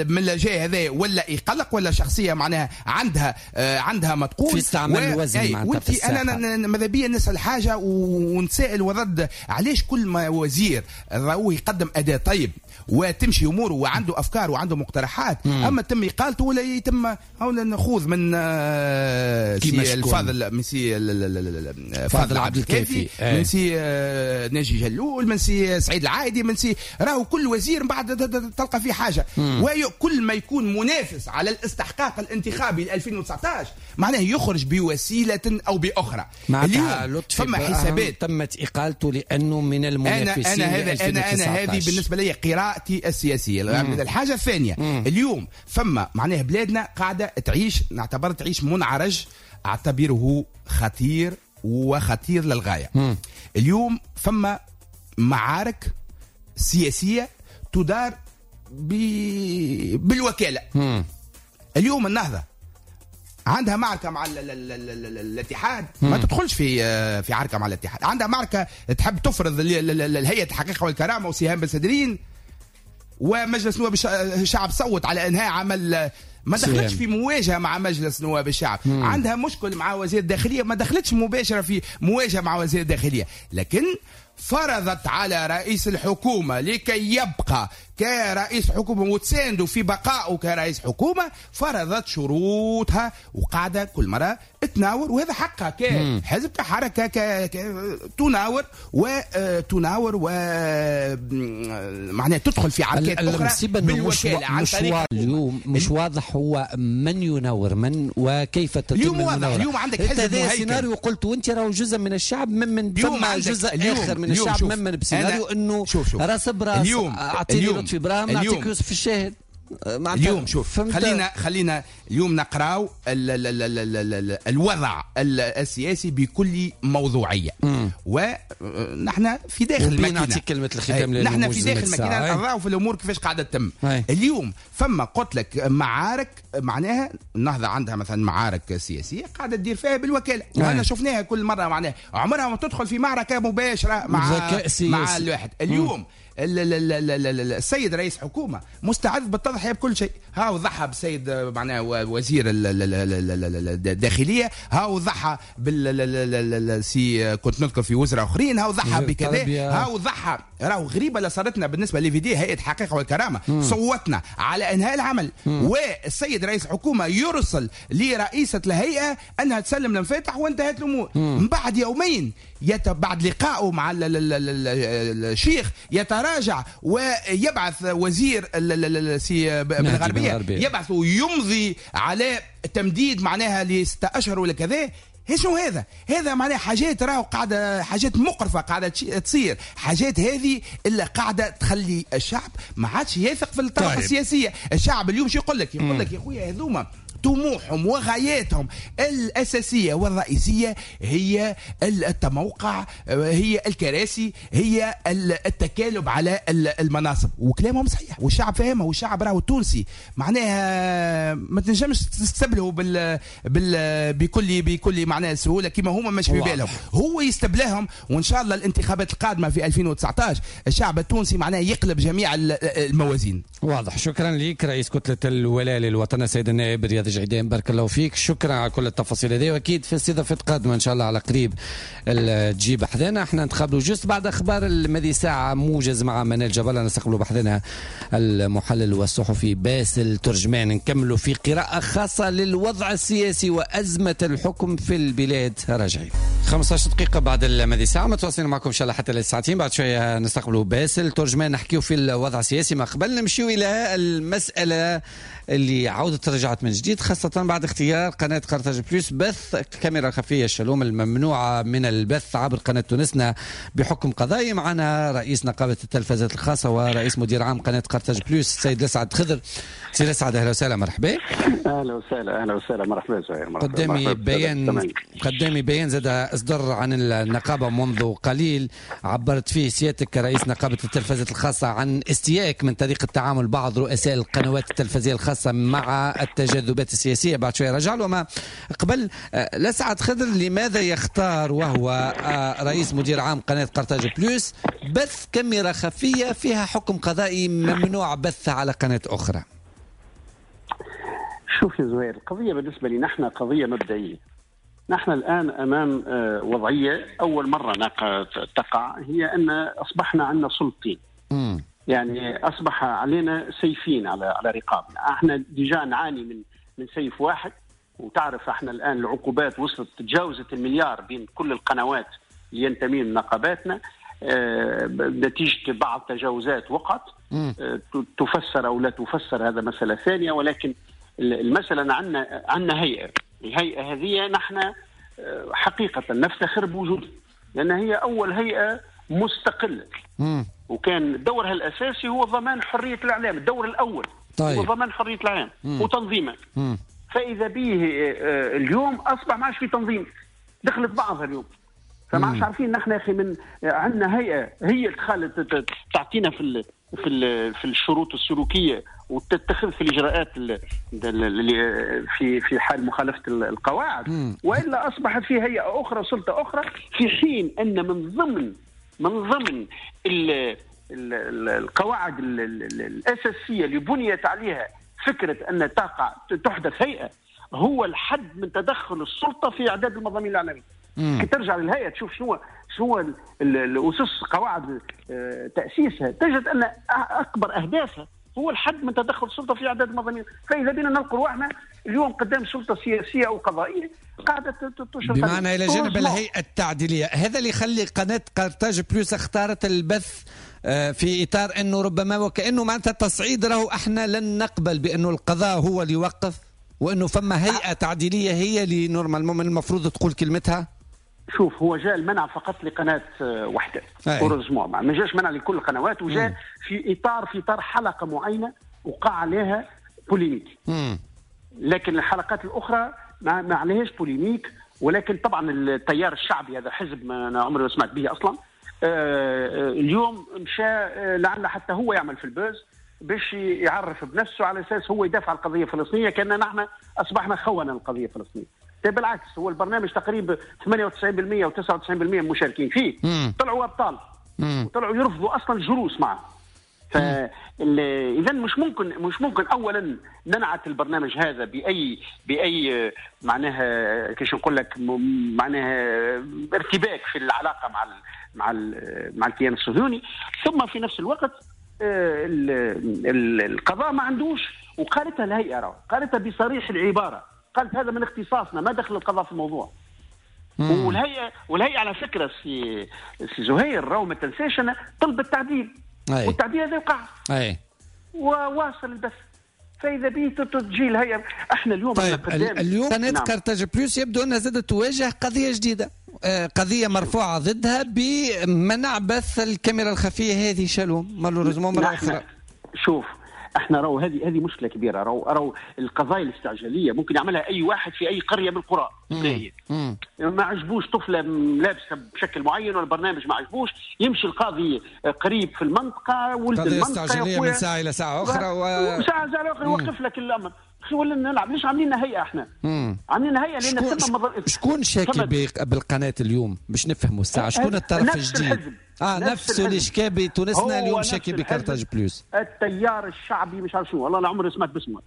من الجاي هذا ولا يقلق ولا شخصية معناها عندها آه عندها ما تقول في استعمال الوزن. وانت أنا ماذا بيا نسأل حاجة ونسائل ورد، علاش كل ما وزير راهو يقدم أداء طيب وتمشي اموره وعنده افكار وعنده مقترحات، مم. اما تم اقالته ولا يتم هنا نخوض من سي الفاضل، من سي فاضل عبد الكافي، من سي ناجي جلول، من سي سعيد العايدي، من سي راهو كل وزير من بعد تلقى فيه حاجة. وكل ما يكون منافس على الاستحقاق الانتخابي ل ألفين وتسعطاش معناه يخرج بوسيلة او باخرى. اليوم فما حسابات تمت اقالته لانه من المنافسين. انا انا هذا انا انا هذه بالنسبة لي قراءتي السياسية. مم. الحاجة الثانية، مم. اليوم فما معناه بلادنا قاعدة تعيش، نعتبر تعيش منعرج اعتبره خطير وخطير للغاية. مم. اليوم فما معارك سياسية تدار ب... بالوكالة. مم. اليوم النهضة عندها معركة مع ال ال ال الاتحاد، ما تدخلش في في عركة مع الاتحاد، عندها معركة تحب تفرض الهيئة الحقيقة والكرامة وسهام بن سدرين، ومجلس نواب الشعب صوت على انهاء عمل، ما دخلتش في مواجهة مع مجلس نواب الشعب. مم. عندها مشكل مع وزير الداخلية، ما دخلتش مباشرة في مواجهة مع وزير الداخلية، لكن فرضت على رئيس الحكومة لكي يبقى كرئيس حكومة وتسانده في بقائه كرئيس حكومة، فرضت شروطها وقاعدة كل مرة تناور، وهذا حقها كحزب كحركة ك... ك... تناور وتناور و معناها تدخل في عركات أخرى بالوكالة عن طريق. اليوم مش واضح هو من يناور من وكيف تتم اليوم واضح. اليوم عندك حزب مهيكل، سيناريو قلت وانت راهو جزء من الشعب، ممن ثم جزء آخر من الشعب ممن بسيناريو انه راس براس اعطيني لطفي براهم نعطيك يوسف الشاهد. اليوم شوف، خلينا خلينا اليوم نقراو ال ال ال ال ال الوضع السياسي بكل موضوعية، ونحن في داخل الماكينة. نعطيك كلمة الختام، نحن في داخل الماكينة نراو في الامور كيفاش قاعدة تتم. اليوم فما قلت لك معارك، معناها النهضة عندها مثلا معارك سياسية قاعدة تدير فيها بالوكالة، وهنا شفناها كل مرة، معناها عمرها ما تدخل في معركة مباشرة مع مع الواحد. اليوم السيد رئيس حكومة مستعد بالتضحية بكل شيء، هاو ضحى بالسيد معناه وزير الداخلية، هاو ضحى بال سي كنت نذكر في وزراء آخرين، هاو ضحى بكذا، هاو ضحى. راهو غريبة اللي صارتنا بالنسبة لي في دي هيئة الحقيقة والكرامة، مم. صوتنا على إنهاء العمل، مم. والسيد رئيس الحكومة يرسل لرئيسة الهيئة أنها تسلم المفاتح وانتهت الأمور. من بعد يومين يت... بعد لقائه مع الشيخ يتراجع ويبعث وزير سي بن غربية، يبعث ويمضي على تمديد معناها لستة أشهر ولا كذا. شنو هذا؟ هذا معناها حاجات راهو قاعدة، حاجات مقرفة قاعدة تصير، حاجات هذه اللي قاعدة تخلي الشعب ما عادش يثق في الطبقة طيب. السياسية. الشعب اليوم شو يقول لك؟ يقول لك يا خويا هذوما طموحهم وغاياتهم الأساسية والرئيسية هي التموقع، هي الكراسي، هي التكالب على المناصب. وكلامهم صحيح والشعب فاهمه، والشعب راهو التونسي معناها ما تنجمش تستبله بال بال بكل بكل معناها سهولة كما هما مش في بالهم، هو يستبلهم. وإن شاء الله الانتخابات القادمة في ألفين وتسعطاش الشعب التونسي معناها يقلب جميع الموازين. واضح. شكرا لك رئيس كتلة الولاء للوطن السيد النائب رياض جعيدان، بارك الله فيك، شكرا على كل التفاصيل هذه، واكيد في استضافة قادمة ان شاء الله على قريب تجيب حذانا. احنا نتقابلوا juste بعد اخبار الماضي ساعة موجز مع منال جبل، نستقبلوا بحذانا المحلل والصحفي باسل ترجمان، نكملوا في قراءة خاصة للوضع السياسي وازمة الحكم في البلاد. راجعين خمسطاش دقيقة بعد الماضي ساعة، متواصلين معكم ان شاء الله حتى للساعتين. بعد شوية نستقبلوا باسل ترجمان نحكيو في الوضع السياسي. ما قبل نمشيو الى المسالة اللي عودت رجعت من جديد، خاصة بعد اختيار قناة قرطاج بلوس بث كاميرا خفية الشالوم الممنوعة من البث عبر قناة تونسنا بحكم قضائي. معنا رئيس نقابة التلفزات الخاصة ورئيس مدير عام قناة قرطاج بلوس السيد لسعد خضر. سيد لسعد أهلا وسهلا، مرحبا. أهلا وسهلا، أهلا وسهلا، مرحبا زهير. قدامي بيان، قدامي بيان زاد أصدر عن النقابة منذ قليل، عبرت فيه سيادتك كرئيس نقابة التلفزات الخاصة عن استيائك من طريقة تعامل بعض رؤساء القنوات التلفزيونية الخاصة مع التجاذبات السياسية. بعد شوية رجع له. ما قبل لسعد خضر، لماذا يختار وهو رئيس مدير عام قناة قرطاج بلوس بث كاميرا خفية فيها حكم قضائي ممنوع بثها على قناة أخرى؟ شوف يا زهير، القضية بالنسبة لنا نحن قضية مبدئية. نحن الآن أمام وضعية أول مرة تقع، هي أن أصبحنا عندنا سلطتين. م. يعني أصبح علينا سيفين على على رقابنا. احنا déjà نعاني من من سيف واحد، وتعرف احنا الآن العقوبات وصلت تجاوزت المليار بين كل القنوات اللي ينتمين لنقاباتنا، اه نتيجة بعض تجاوزات وقعت، اه تفسر أو لا تفسر هذا مسألة ثانية. ولكن المسألة عندنا عندنا هيئة، الهيئة هذه نحن حقيقة نفتخر بوجودها، لأن هي أول هيئة مستقلة. مم. وكان دورها الأساسي هو ضمان حرية الإعلام، الدور الأول. طيب. هو ضمان حرية الإعلام وتنظيمه. مم. فإذا به اليوم أصبح ما عادش في تنظيم، دخلت بعضها اليوم، فما عادش عارفين نحن يا أخي من عندنا هيئة هي اللي تعطينا في ال في ال في الشروط السلوكية وتتخذ في الإجراءات اللي في في حال مخالفة القواعد. مم. وإلا أصبحت في هيئة أخرى، سلطة أخرى، في حين أن من ضمن من ضمن ال ال القواعد ال ال الأساسية اللي بنيت عليها فكرة أن تقع تحدث هيئة هو الحد من تدخل السلطة في إعداد المضامين الإعلامية. كي ترجع للهيئة تشوف شنو شنو الأسس قواعد تأسيسها، تجد أن أكبر أهدافها هو الحد من تدخل السلطة في إعداد المضامين. فإذا بنا نلقى روحنا اليوم قدام سلطة سياسية أو قضائية قاعدة تشرف، بمعنى إلى جانب الهيئة التعديلية. هذا اللي يخلي قناة قرطاج بلوس اختارت البث في إطار أنه ربما وكأنه معناتها التصعيد، راهو احنا لن نقبل بأنه القضاء هو اللي يوقف، وأنه فما هيئة تعديلية هي اللي normalement المفروض تقول كلمتها. شوف، هو جاء المنع فقط لقناة واحدة، heureusement ما جاش منع لكل القنوات، وجاء في إطار في إطار حلقة معينة وقع عليها polémique. مم. لكن الحلقات الأخرى ما, ما عليهاش polémique. ولكن طبعا التيار الشعبي هذا حزب ما أنا عمري ما سمعت به أصلا، آه اليوم مشى لعل حتى هو يعمل في ال buzz باش يعرف بنفسه على أساس هو يدافع عن القضية الفلسطينية، كأننا نحن أصبحنا خونة القضية الفلسطينية. بالعكس، هو البرنامج تقريبا ثمانية وتسعين بالمئة وتسعة وتسعين بالمئة مشاركين فيه. مم. طلعوا أبطال. مم. وطلعوا يرفضوا أصلا الجلوس معه. فإذا مش ممكن مش ممكن أولا ننعت البرنامج هذا بأي بأي معناها كيش نقول لك معناها ارتباك في العلاقة مع ال مع ال مع الكيان الصهيوني، ثم في نفس الوقت القضاء ما عندوش، وقالتها الهيئة راه قالتها بصريح العبارة، قالت هذا من اختصاصنا، ما دخل القضاء في الموضوع. مم. والهيئة والهيئة على فكرة سي سي زهير راهو ما تنساش أنا طلب التعديل. أي. والتعديل هذا وقع. أي. وواصل البث. فاذا به تجي الهيئة. احنا اليوم طيب اليوم قناة نعم. قرطاج بلوس يبدو انها زادت تواجه قضية جديدة، قضية مرفوعة ضدها بمنع بث الكاميرا الخفية هذه. شالوم malheureusement مرة اخرى. شوف احنا راهو هذه هذه مشكلة كبيرة، راهو راهو القضايا الاستعجاليه ممكن يعملها اي واحد في اي قرية من القرى. ما عجبوش طفله لابسه بشكل معين ولا برنامج ما عجبوش، يمشي القاضي قريب في المنطقة ولد المنطقة استعجاليه من ساعة الى ساعة اخرى و... ساعة ساعة اخرى يوقف لك الامر. ولا نلعب؟ ليش عاملين هيئة احنا؟ عاملين هيئة لان ثم مضر... شكون شاكي بالقناة اليوم باش نفهموا الساعة؟ شكون الطرف الجديد؟ اه نفسه اللي شكا بتونسنا اليوم شاكي بقرطاج بلوس. التيار الشعبي مش عارف شنو، والله لا عمري سمعت باسمه.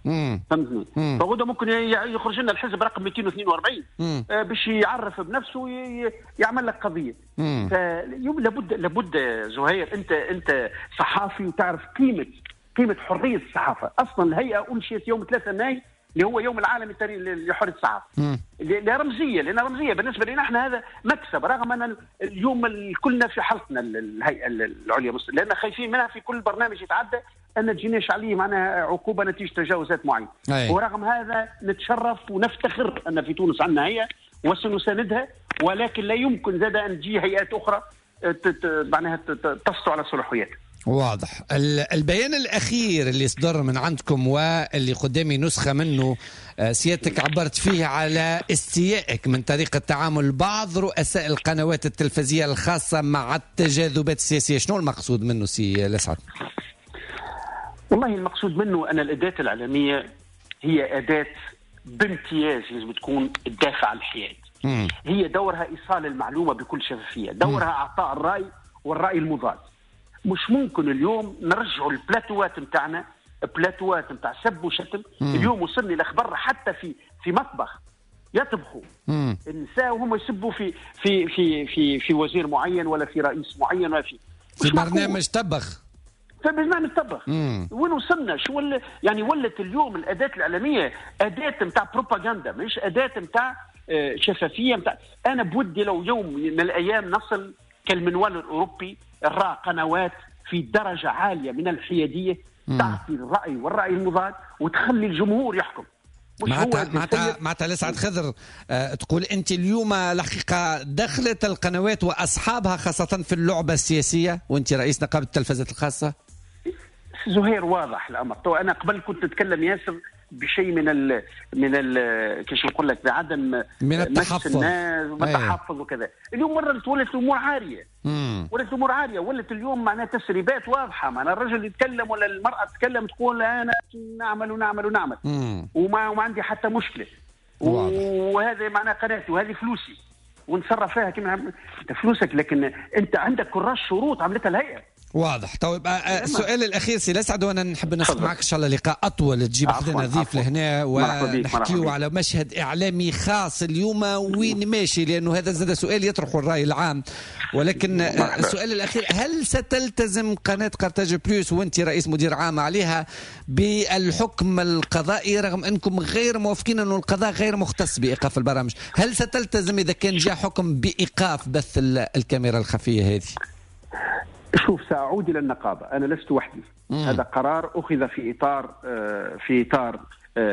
فهمتني؟ فغدا ممكن يخرج لنا الحزب رقم مئتين واثنين وأربعين آه باش يعرف بنفسه ويعمل لك قضية. فاليوم لابد لابد زهير، انت انت صحافي وتعرف قيمة قيمة حرية الصحافة. اصلا الهيئة انشئت يوم ثلاثة ماي اللي هو يوم العالمي لحرية الصحافة. لرمزيه، لان رمزية بالنسبة لنا احنا هذا مكسب، رغم ان اليوم كلنا في حلقنا الهيئة العليا لان خايفين منها في كل برنامج يتعدى ان تجيناش عليه معناها عقوبه نتيجة تجاوزات معينة. ورغم هذا نتشرف ونفتخر ان في تونس عندنا هيئة وسنساندها، ولكن لا يمكن زاد ان تجي هيئات اخرى معناها تسطو على صلاحياتها. واضح. البيان الأخير اللي صدر من عندكم واللي قدامي نسخة منه، سيادتك عبرت فيه على استيائك من طريقة تعامل بعض رؤساء القنوات التلفزيونية الخاصة مع التجاذبات السياسية، شنو المقصود منه سي لسعد؟ والله المقصود منه أن الأداة الإعلامية هي أداة بامتياز لازم تكون تدافع عن الحياد. هي دورها إيصال المعلومة بكل شفافية، دورها إعطاء الرأي والرأي المضاد. مش ممكن اليوم نرجعوا البلاتوات نتاعنا بلاتوات نتاع سب وشتم. اليوم وصلني الاخبار حتى في في مطبخ يطبخوا النساء وهم يسبوا في في في في في وزير معين ولا في رئيس معين ولا في في برنامج طبخ، في برنامج طبخ. وين وصلنا؟ شو ولا يعني ولت اليوم الاداة الاعلامية اداه نتاع بروباغندا، مش اداه نتاع شفافية نتاع. انا بودي لو يوم من الايام نصل كالمنوال الاوروبي، نرى قنوات في درجة عالية من الحيادية تعطي الرأي والرأي المضاد وتخلي الجمهور يحكم. معناتها معناتها معناتها لسعد خضر أه تقول أنت اليوم الحقيقة دخلت القنوات وأصحابها خاصة في اللعبة السياسية، وأنت رئيس نقابة التلفزات الخاصة؟ زهير واضح الأمر. تو أنا قبل كنت أتكلم ياسر بشيء من ال من ال كيش نقول لك بعدم من التحفظ والتحفظ وكذا. اليوم مرة ولت الامور عارية، ولت الامور عارية، ولت اليوم معناها تسريبات واضحة، معناها الرجل يتكلم ولا المراة تتكلم تقول انا نعمل ونعمل ونعمل وما وما عندي حتى مشكلة، وهذا معناها قناتي وهذه فلوسي ونتصرف فيها كما انت فلوسك، لكن انت عندك كراس شروط عملتها الهيئة. واضح. طيب السؤال الاخير سي لسعد، وانا نحب ناخذ معك ان شاء الله لقاء اطول تجيب حدنا ضيف لهنا ونحكيو على مشهد اعلامي خاص اليوم وين ماشي، لانه هذا زاد سؤال يطرحه الراي العام. ولكن السؤال الاخير، هل ستلتزم قناة قرطاج بلوس وانت رئيس مدير عام عليها بالحكم القضائي رغم انكم غير موافقين انه القضاء غير مختص بايقاف البرامج؟ هل ستلتزم اذا كان جاء حكم بايقاف بث الكاميرا الخفية هذه؟ شوف، سأعود إلى النقابة، أنا لست وحدي. مم. هذا قرار أخذ في إطار في إطار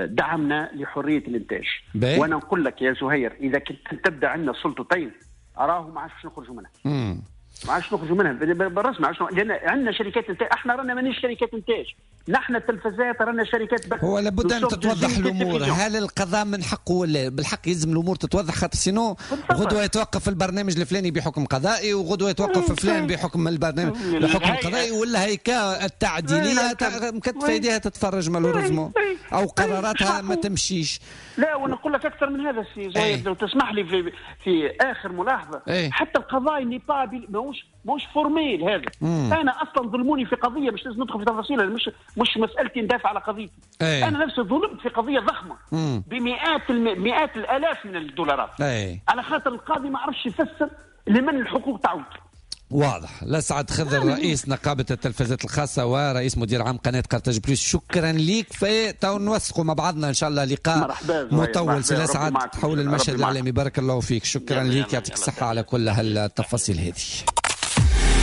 دعمنا لحرية الإنتاج. بي. وأنا نقول لك يا زهير، إذا كنت تبدأ عندنا سلطتين أراه ما عادش نخرجوا منها. مم. ما عادش نخرجوا منها بالرسم، ما عادش، لأن عندنا شركات إنتاج، احنا رانا مانيش شركات إنتاج، نحن التلفزات رانا شركات بث. هو لابد أن تتوضح الأمور، هل القضاء من حقه ولا بالحق؟ يلزم الأمور تتوضح، خاطر sinon غدوة يتوقف البرنامج الفلاني بحكم قضائي، وغدوة يتوقف فلان بحكم البرنامج بحكم قضائي، ولا هيك التعديلية مكتفة يديها تتفرج malheureusement أو قراراتها ما تمشيش. لا، ونقول لك أكثر من هذا سي زهير، لو تسمح لي في في آخر ملاحظة. ايه؟ حتى القضاء n'est pas ماهوش ماهوش formel هذا. مم. أنا أصلا ظلموني في قضية، مش لازم ندخل في تفاصيلها، مش مش مسألتي ندافع على قضيتي. ايه. أنا نفسي ظلمت في قضية ضخمة. مم. بمئات الم... مئات الآلاف من الدولارات. ايه. على خاطر القاضي ما عرفش يفسر لمن الحقوق تعود. واضح. لسعد خضر رئيس نقابة التلفزات الخاصة ورئيس مدير عام قناة قرطاج بلوس، شكرا ليك. في تو نوثقوا مع بعضنا إن شاء الله لقاء مطول سي لسعد حول المشهد الإعلامي. بارك الله فيك، شكرا ليك، يعطيك الصحة على كل هالتفاصيل هذه.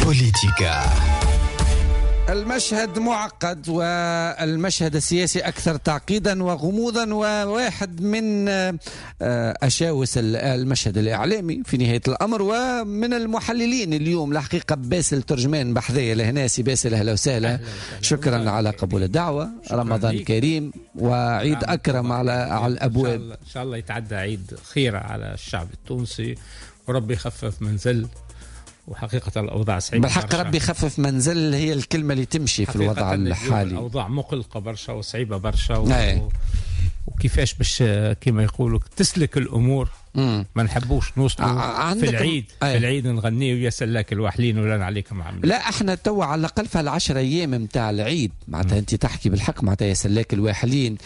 بوليتيكا. المشهد معقد والمشهد السياسي أكثر تعقيدا وغموضا، وواحد من أشاوس المشهد الإعلامي في نهاية الأمر ومن المحللين اليوم الحقيقة باسل ترجمان بحذية لهنا. سي باسل أهلا وسهلا، شكرا على قبول الدعوة. رمضان كريم وعيد أكرم على على الأبواب. إن شاء الله يتعدى عيد خير على الشعب التونسي وربي يخفف منزل، وحقيقة الأوضاع صعيبة بالحق. ربي يخفف منزل هي الكلمة اللي تمشي في الوضع الحالي. الأوضاع مقلقة برشا وصعيبة برشا و... وكيفاش باش كما يقولوا تسلك الأمور. مم. ما نحبوش نوصلوا في العيد أي. في العيد نغنيه ويا سلاك الوحلين ولا عليكم عاملين. لا احنا توا على الاقل في العشر ايام نتاع العيد معناتها انت تحكي بالحق معناتها يا سلاك الواحلين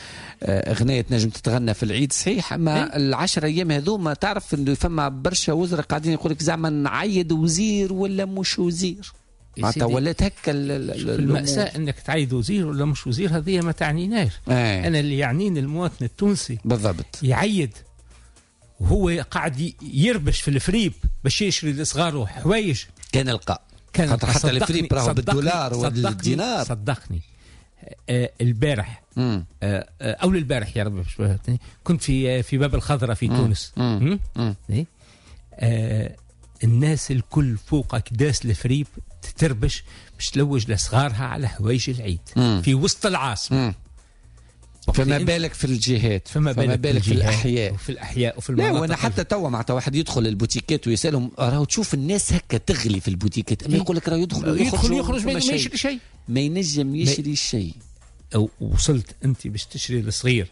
اغنية تنجم تتغنى في العيد صحيح، اما العشر ايام هذوما تعرف انه فما برشا وزراء قاعدين يقول لك زعما نعيد وزير ولا مش وزير، معناتها ولات هكا المأساة انك تعيد وزير ولا مش وزير هذه ما تعنيناش. ايه. انا اللي يعنيني المواطن التونسي بالضبط يعيد وهو قاعد يربش في الفريب باش يشري لصغاره حوايج. كان القاء كان حتى الفريب راهو بالدولار والدينار. صدقني آه البارح آه آه او البارح يا رب كنت في في باب الخضراء في مم. تونس. مم. مم. آه الناس الكل فوقك داس الفريب تتربش باش تلوج لصغارها على حوايج العيد. مم. في وسط العاصمة. مم. فما بالك في الجهات، فما بالك, فما بالك في الاحياء وفي الاحياء وفي المناطق. لا وانا حتى توا معناتها واحد يدخل البوتيكات ويسالهم راهو تشوف الناس هكا تغلي في البوتيكات، اما يقول لك راهو يدخل يدخل يخرج ما يشري شيء، ما ينجم يشري شيء. وصلت انت باش تشري الصغير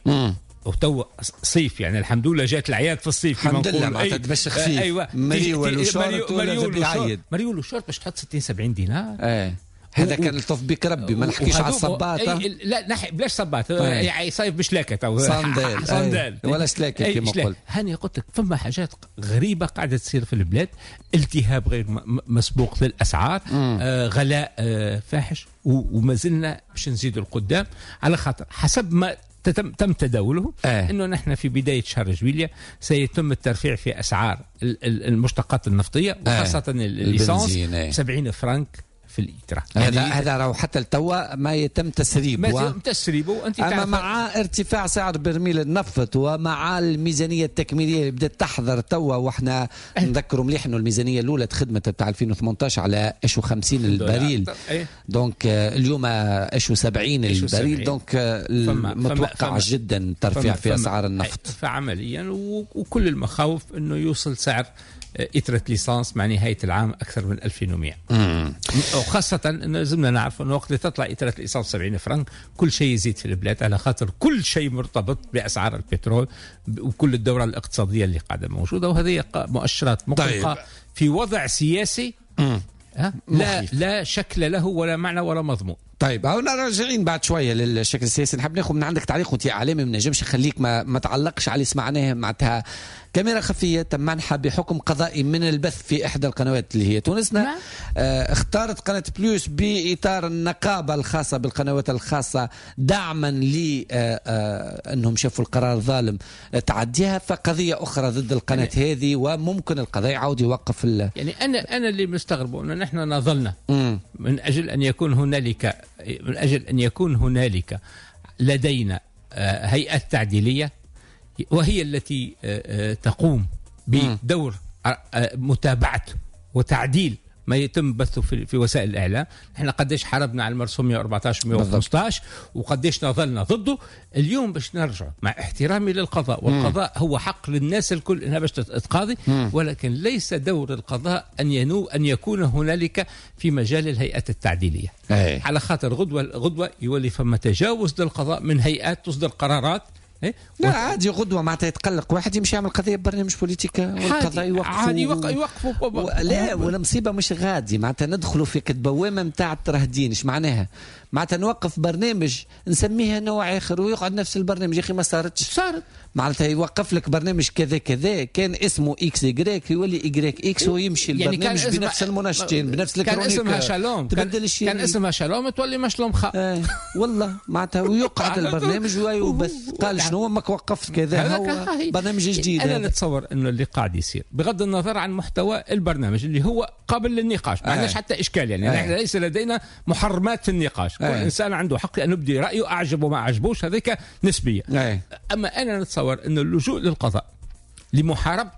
وتو صيف يعني الحمد لله جات العياد في الصيف الحمد لله معناتها تبش خفيف. ايوه مريول وشورت ولا مريول وشورت باش تحط ستين سبعين دينار. ايه هذا كان الطف بك ربي، ما نحكيش على الصباط. لا نحي بلاش صباط يعني صيف بشلاكه تو صندال صندال ولا شلاكه كما قلت. هاني قلت لك فما حاجات غريبة قاعدة تصير في البلاد، التهاب غير مسبوق للاسعار، آه غلاء آه فاحش، وما زلنا باش نزيدوا القدام على خاطر حسب ما تم تم تداوله آه. انه نحن في بداية شهر جويليا سيتم الترفيع في اسعار المشتقات النفطية وخاصة آه. ال essence سبعين فرنك في الإترا. هذا يعني هذا راهو حتى التوا ما يتم تسريبه، ما يتم تسريبه. انت اما مع ارتفاع سعر برميل النفط ومع الميزانية التكميليه اللي بدات تحضر توا، واحنا نذكروا مليح انه الميزانية الاولى تخدمت بتاع ألفين وثمانية عشر على اش وخمسين البريل، donc اليوم اش وسبعين البريل، donc متوقع جدا ترفيع في اسعار النفط. فعمليا وكل المخاوف انه يوصل سعر إترة l'essence مع نهاية العام أكثر من ألفين ومئة. وخاصة أنه لازمنا نعرف أنه وقت اللي تطلع إترة l'essence سبعين فرنك كل شيء يزيد في البلاد، على خاطر كل شيء مرتبط بأسعار البترول وكل الدورة الاقتصادية اللي قاعدة موجودة، وهذه مؤشرات مقلقة. طيب. في وضع سياسي لا لا شكل له ولا معنى ولا مضمون. طيب هنا راجعين بعد شوية للشكل السياسي، نحب ناخذ من عندك تعليق وانت اعلامي ما نجمش نخليك ما, ما تعلقش على اللي سمعناه. معناتها كاميرا خفيه تم منحها بحكم قضائي من البث في احدى القنوات اللي هي تونسنا. آه اختارت قناة بلوس باطار النقابة الخاصة بالقنوات الخاصة دعما ل آه آه انهم شافوا القرار ظالم تعديها، فقضية اخرى ضد القناة يعني هذه، وممكن القضاء يعاود يوقف ال... يعني انا انا اللي مستغربه انه نحن نظلنا من اجل ان يكون هنالك من أجل أن يكون هنالك لدينا هيئة تعديلية وهي التي تقوم بدور متابعة وتعديل ما يتم بثه في وسائل الإعلام. احنا قديش حاربنا على المرسوم مئة وأربعة عشر مئة وخمسة عشر وقديش نظلنا ضده. اليوم باش نرجع مع احترامي للقضاء، والقضاء هو حق للناس الكل انها باش تتقاضي، ولكن ليس دور القضاء ان ينو ان يكون هنالك في مجال الهيئات التعديلية. أي. على خاطر غدوة غدوة يولي فما تجاوز للقضاء من هيئات تصدر قرارات. إيه؟ لا عادي غدوه معناتها يتقلق واحد يمشي يعمل قضية ببرنامج بوليتيكا والقضاء يوقفوا عادي يوقفوا و... لا ولا مصيبة مش غادي معناتها ندخلوا في كتبوامه نتاع الترهدين. ايش معناها؟ معناتها نوقف برنامج نسميها نوع اخر ويقعد نفس البرنامج. يا اخي ما صارتش، صارت معناتها يوقف لك برنامج كذا كذا كان اسمه X Y يولي Y X ويمشي يعني البرنامج بنفس المناشطين بنفس ال chroniqueur. كان اسمها شالوم تبدل كان, كان اسمها شالوم تولي مشلوم خا آه. والله معناتها ويقعد البرنامج ويبث. قال شنو ماك وقفت كذا هو برنامج جديد. انا نتصور انه اللي قاعد يصير بغض النظر عن محتوى البرنامج اللي هو قابل للنقاش ما عندناش آه. حتى اشكال يعني آه. نحن ليس لدينا محرمات في النقاش. كل آه. انسان عنده حق ان يبدي رايه، اعجبه ما عجبوش هذيك نسبيه. آه. اما انا نتصور أن اللجوء للقضاء لمحاربة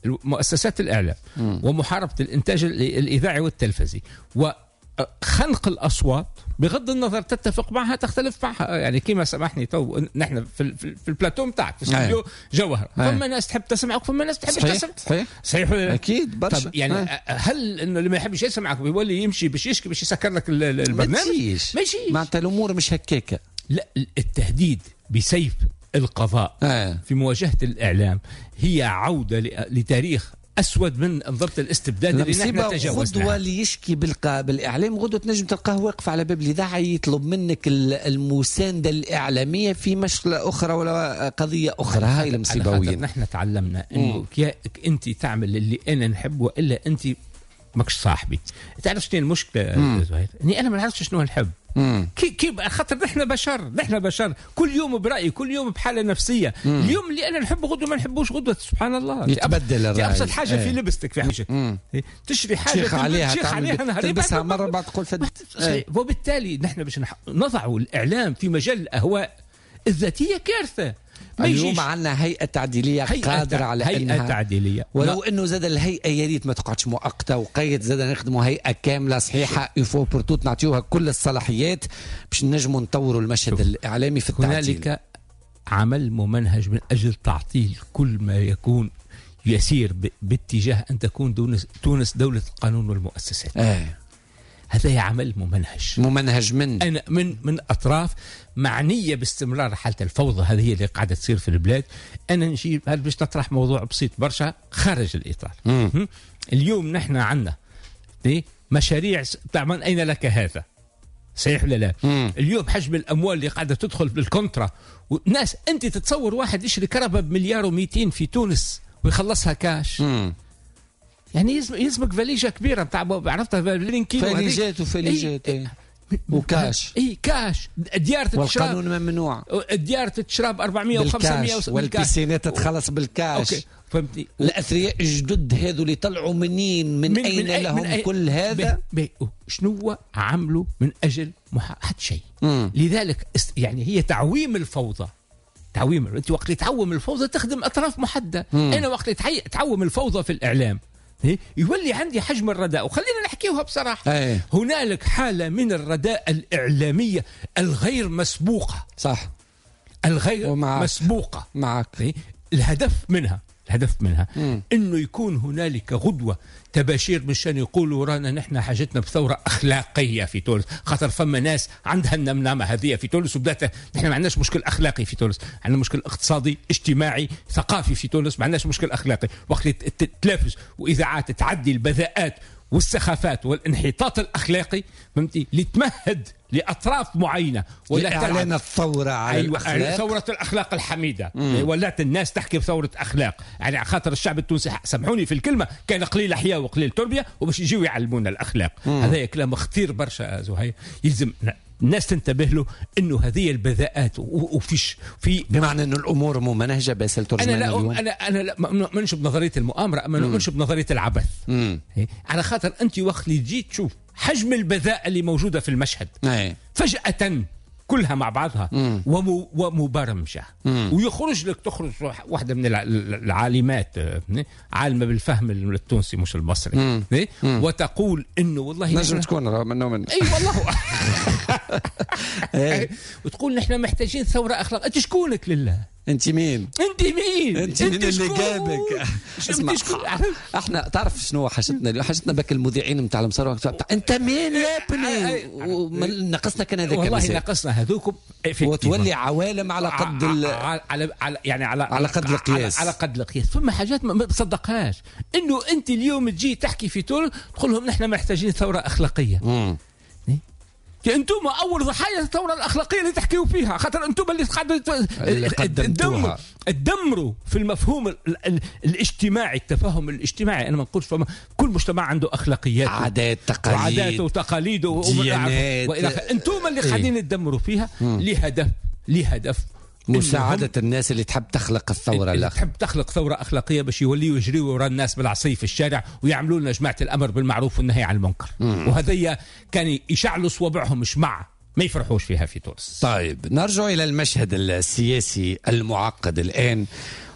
مؤسسات الإعلام م. ومحاربة الإنتاج الإذاعي والتلفزي وخنق الأصوات بغض النظر تتفق معها تختلف معها، يعني كما سامحني تو نحن في, في البلاتو متاعك في استوديو جوهر فما ناس تحب تسمعك فما ناس تحبش تسمع. صحيح صحيح اكيد برشا. يعني أي. هل انه اللي ما يحبش يسمعك بيولي يمشي باش يشكي باش يسكر لك البرنامج؟ ما يجيش معناتها الامور مش هكاكه. لا، التهديد بسيف القضاء آه. في مواجهة الإعلام هي عودة لتاريخ أسود من أنظمة الاستبداد اللي نحن تجاوزناها. غدوة اللي يشكي بالقا... بالإعلام غدوة تنجم تلقاه واقف على باب الإذاعة يطلب منك المساندة الإعلامية في مشكلة أخرى ولا قضية أخرى. هاي المصيبة وين نحن تعلمنا إنه أنت تعمل اللي أنا نحب وإلا أنت ماكش صاحبي. تعرف شنو المشكلة زهير؟ إني أنا ما نعرفش شنو نحب. كي كي خاطر نحن بشر، نحن بشر كل يوم برأي، كل يوم بحالة نفسية. مم. اليوم اللي أنا نحبه غدوة ما نحبوش غدوة، سبحان الله يتبدل الرأي. أبسط حاجة ايه. في لبستك في حاجة تشري حاجة تشيخ عليها, عليها تلبسها مرة بعد تقول فد. ايه. وبالتالي نحن باش نضع الإعلام في مجال الأهواء الذاتية كارثة. اليوم عندنا هيئة تعديلية هيئة قادرة على هيئة إنها تعديلية، ولو أنه زاد الهيئة يا ريت ما تقعدش مؤقتة وقيد، زاد نخدموا هيئة كاملة صحيحة une fois pour toutes نعطيوها كل الصلاحيات باش نجموا نطوروا المشهد الإعلامي في التعديل. هنالك عمل ممنهج من أجل تعطيل كل ما يكون يسير باتجاه أن تكون تونس دولة القانون والمؤسسات. آه. هذا عمل ممنهج ممنهج من أنا من من أطراف معنية باستمرار حالة الفوضى هذه اللي قاعدة تصير في البلاد. أنا نجيب هل باش نطرح موضوع بسيط برشا خارج الإطار. مم. اليوم نحن عندنا مشاريع تاع من أين لك هذا، صحيح ولا لا؟ مم. اليوم حجم الأموال اللي قاعدة تدخل بال contrat وناس، أنت تتصور واحد يشري كرهبة بمليار ومئتين في تونس ويخلصها كاش؟ مم. يعني يلزمك فاليجة كبيرة بتاع عرفتها كيلو فاليجات وفاليجات ايه. وكاش اي كاش. ديار تتشرب والقانون ممنوع، الديار تتشرب أربعمية وخمسمية والبيسينات تتخلص بالكاش. okay. فهمتني؟ الاثرياء الجدد هذو اللي طلعوا منين من, من اين من لهم من أي كل هذا؟ بي بي شنو عملوا من اجل حتى شيء. لذلك يعني هي تعويم الفوضى. تعويم انت وقت اللي تعوم الفوضى تخدم اطراف محددة. انا وقت اللي تعوم الفوضى في الاعلام يولي عندي حجم الرداء، وخلينا نحكيوها بصراحة. أي. هنالك حالة من الرداء الإعلامية الغير مسبوقة. صح، الغير ومعك. مسبوقة معك. الهدف منها الهدف منها مم. انه يكون هنالك غدوه تباشير مشان يقولوا رانا نحن حاجتنا بثورة اخلاقية في تونس، خاطر فما ناس عندها النمنامه هذه في تونس وبدات. نحن ما عندناش مشكل اخلاقي في تونس، عندنا مشكل اقتصادي اجتماعي ثقافي في تونس، ما عندناش مشكل اخلاقي. وقت تتلافز واذاعات تعدي البذاءات والسخافات والانحطاط الاخلاقي، فهمتي، لتمهد لاطراف معينة ولا اعلان الثورة على أيوة الاخلاق، ثورة الاخلاق الحميدة. ولات الناس تحكي بثورة اخلاق، يعني على خاطر الشعب التونسي سامحوني في الكلمة كان قليل حياة وقليل تربيه وباش يجيو يعلمونا الاخلاق. مم. هذا كلام خطير برشا زهير، يلزم الناس تنتبه له انه هذه البذاءات وفيش في بمعنى انه الامور ممنهجه باسل ترجمان. انا لا انا انا لا ما نؤمنش بنظرية المؤامرة، اما نؤمنش بنظرية العبث. مم. على خاطر انت وقت اللي تجي تشوف حجم البذاء اللي موجودة في المشهد أي. فجاة كلها مع بعضها ومبرمجه، ويخرج لك تخرج واحدة من العالمات عالمه بالفهم التونسي مش المصري مم. مم. وتقول انه والله نجم تكون منه من اي والله وتقول نحن محتاجين ثورة اخلاق. انت شكونك لله؟ انت مين؟ انت مين؟ انت مين اللي جابك؟ اسمع، احنا تعرف شنو حاجتنا؟ حاجتنا بك المذيعين نتاع المصارعة، انت مين يا ابني؟ ناقصنا كان هذاك والله، ناقصنا هذوكم وتولي عوالم على قد ال... على على يعني على على قد القياس، على, على قد القياس. فما حاجات ما تصدقهاش انه انت اليوم تجي تحكي في تونس تقول لهم نحن محتاجين ثورة اخلاقية. امم انتم اول ضحايا الثورة الاخلاقية اللي تحكيوا فيها، خاطر انتم اللي قاعدوا تدمروا تدمروا في المفهوم ال ال الاجتماعي، التفاهم الاجتماعي. انا ما نقولش فما كل مجتمع عنده اخلاقيات، عادات، تقاليد، وعاداته وتقاليده والى اخره. انتم اللي قاعدين تدمروا فيها لهدف لهدف مساعدة الناس اللي تحب تخلق الثورة، اللي تحب تخلق ثورة أخلاقية باش يوليوا يجريوا وراء الناس بالعصي في الشارع ويعملوا لنا جماعة الأمر بالمعروف والنهي عن المنكر. وهذيا كان يشعلوا صوابعهم شمع ما يفرحوش فيها في تونس. طيب نرجع إلى المشهد السياسي المعقد الآن،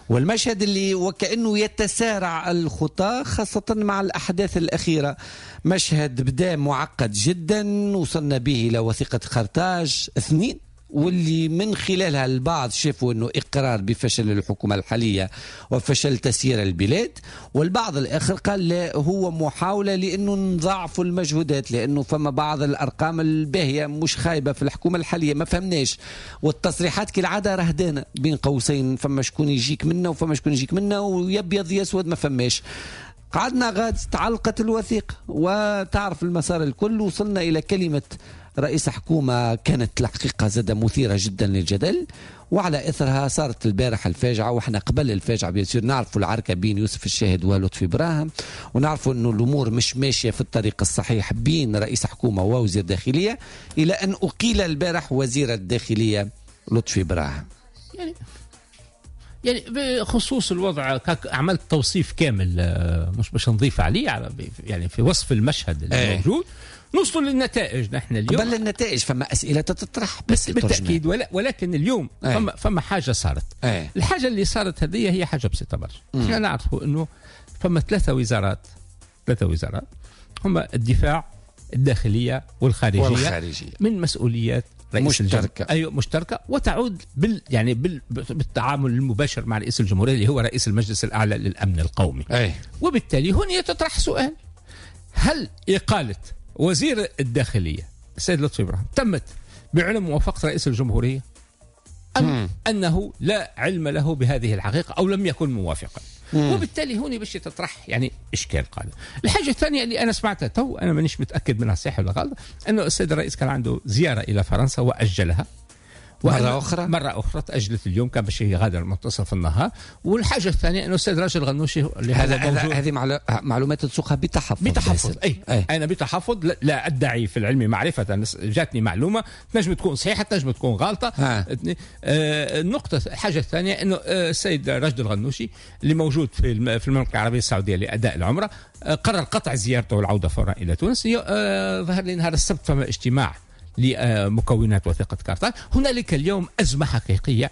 والمشهد اللي وكأنه يتسارع الخطى خاصة مع الأحداث الأخيرة. مشهد بدأ معقد جدا، وصلنا به إلى وثيقة قرطاج اثنين، واللي من خلالها البعض شافوا أنه إقرار بفشل الحكومة الحالية وفشل تسيير البلاد، والبعض الآخر قال لا، هو محاولة لأنه نضاعفوا المجهودات، لأنه فما بعض الأرقام الباهية مش خايبة في الحكومة الحالية، ما فهمناش. والتصريحات كالعادة رهدانة بين قوسين، فما شكون يجيك منا وفما شكون يجيك منا، ويبيض يسود ما فماش. قعدنا غاد تعلقت الوثيقة وتعرف المسار الكل، وصلنا إلى كلمة رئيس حكومة كانت الحقيقة زادة مثيرة جدا للجدل، وعلى إثرها صارت البارحة الفاجعة. وإحنا قبل الفاجعة bien sûr نعرفوا العركة بين يوسف الشاهد ولطفي براهم، ونعرفوا أنه الأمور مش ماشية في الطريق الصحيح بين رئيس حكومة ووزير داخلية، إلى أن أقيل البارح وزير الداخلية لطفي براهم. يعني يعني بخصوص الوضع عملت توصيف كامل، مش باش نضيف عليه، يعني في وصف المشهد الموجود. نوصل للنتائج نحن اليوم. قبل النتائج فما أسئلة تطرح بس بالتأكيد، ولكن اليوم ايه. فما, فما حاجة صارت. ايه. الحاجة اللي صارت هذه هي حاجة بسيطة برشا. احنا نعرفوا أنه فما ثلاثة وزارات، ثلاثة وزارات هم الدفاع، الداخلية والخارجية، والخارجية. من مسؤوليات رئيس مشتركة. أيوة مشتركة، وتعود بال يعني بال بالتعامل المباشر مع رئيس الجمهورية اللي هو رئيس المجلس الأعلى للأمن القومي. أي. وبالتالي هنا تطرح سؤال: هل إقالة وزير الداخلية السيد لطفي براهم تمت بعلم موافقة رئيس الجمهورية أم مم. أنه لا علم له بهذه الحقيقة أو لم يكن موافقا؟ مم. وبالتالي هنا باش تطرح يعني إشكال قادم. الحاجة الثانية اللي أنا سمعتها تو، أنا مانيش متأكد منها صحيح ولا غلط، أنه السيد الرئيس كان عنده زيارة إلى فرنسا وأجلها مرة أخرى، مرة أخرى تأجلت اليوم، كان باش يغادر منتصف النهار. والحاجة الثانية أنه السيد راشد الغنوشي اللي هذا هذه معلومات تسوقها بتحفظ. بتحفظ أي. أي أنا بتحفظ، لا أدعي في العلم معرفة، جاتني معلومة تنجم تكون صحيحة تنجم تكون غلطة. آه النقطة الحاجة الثانية أنه السيد راشد الغنوشي اللي موجود في في المملكة العربية السعودية لأداء العمرة قرر قطع زيارته والعودة فورا إلى تونس. آه ظهر لي نهار السبت فما اجتماع لمكونات وثيقة قرطاج. هنالك اليوم أزمة حقيقية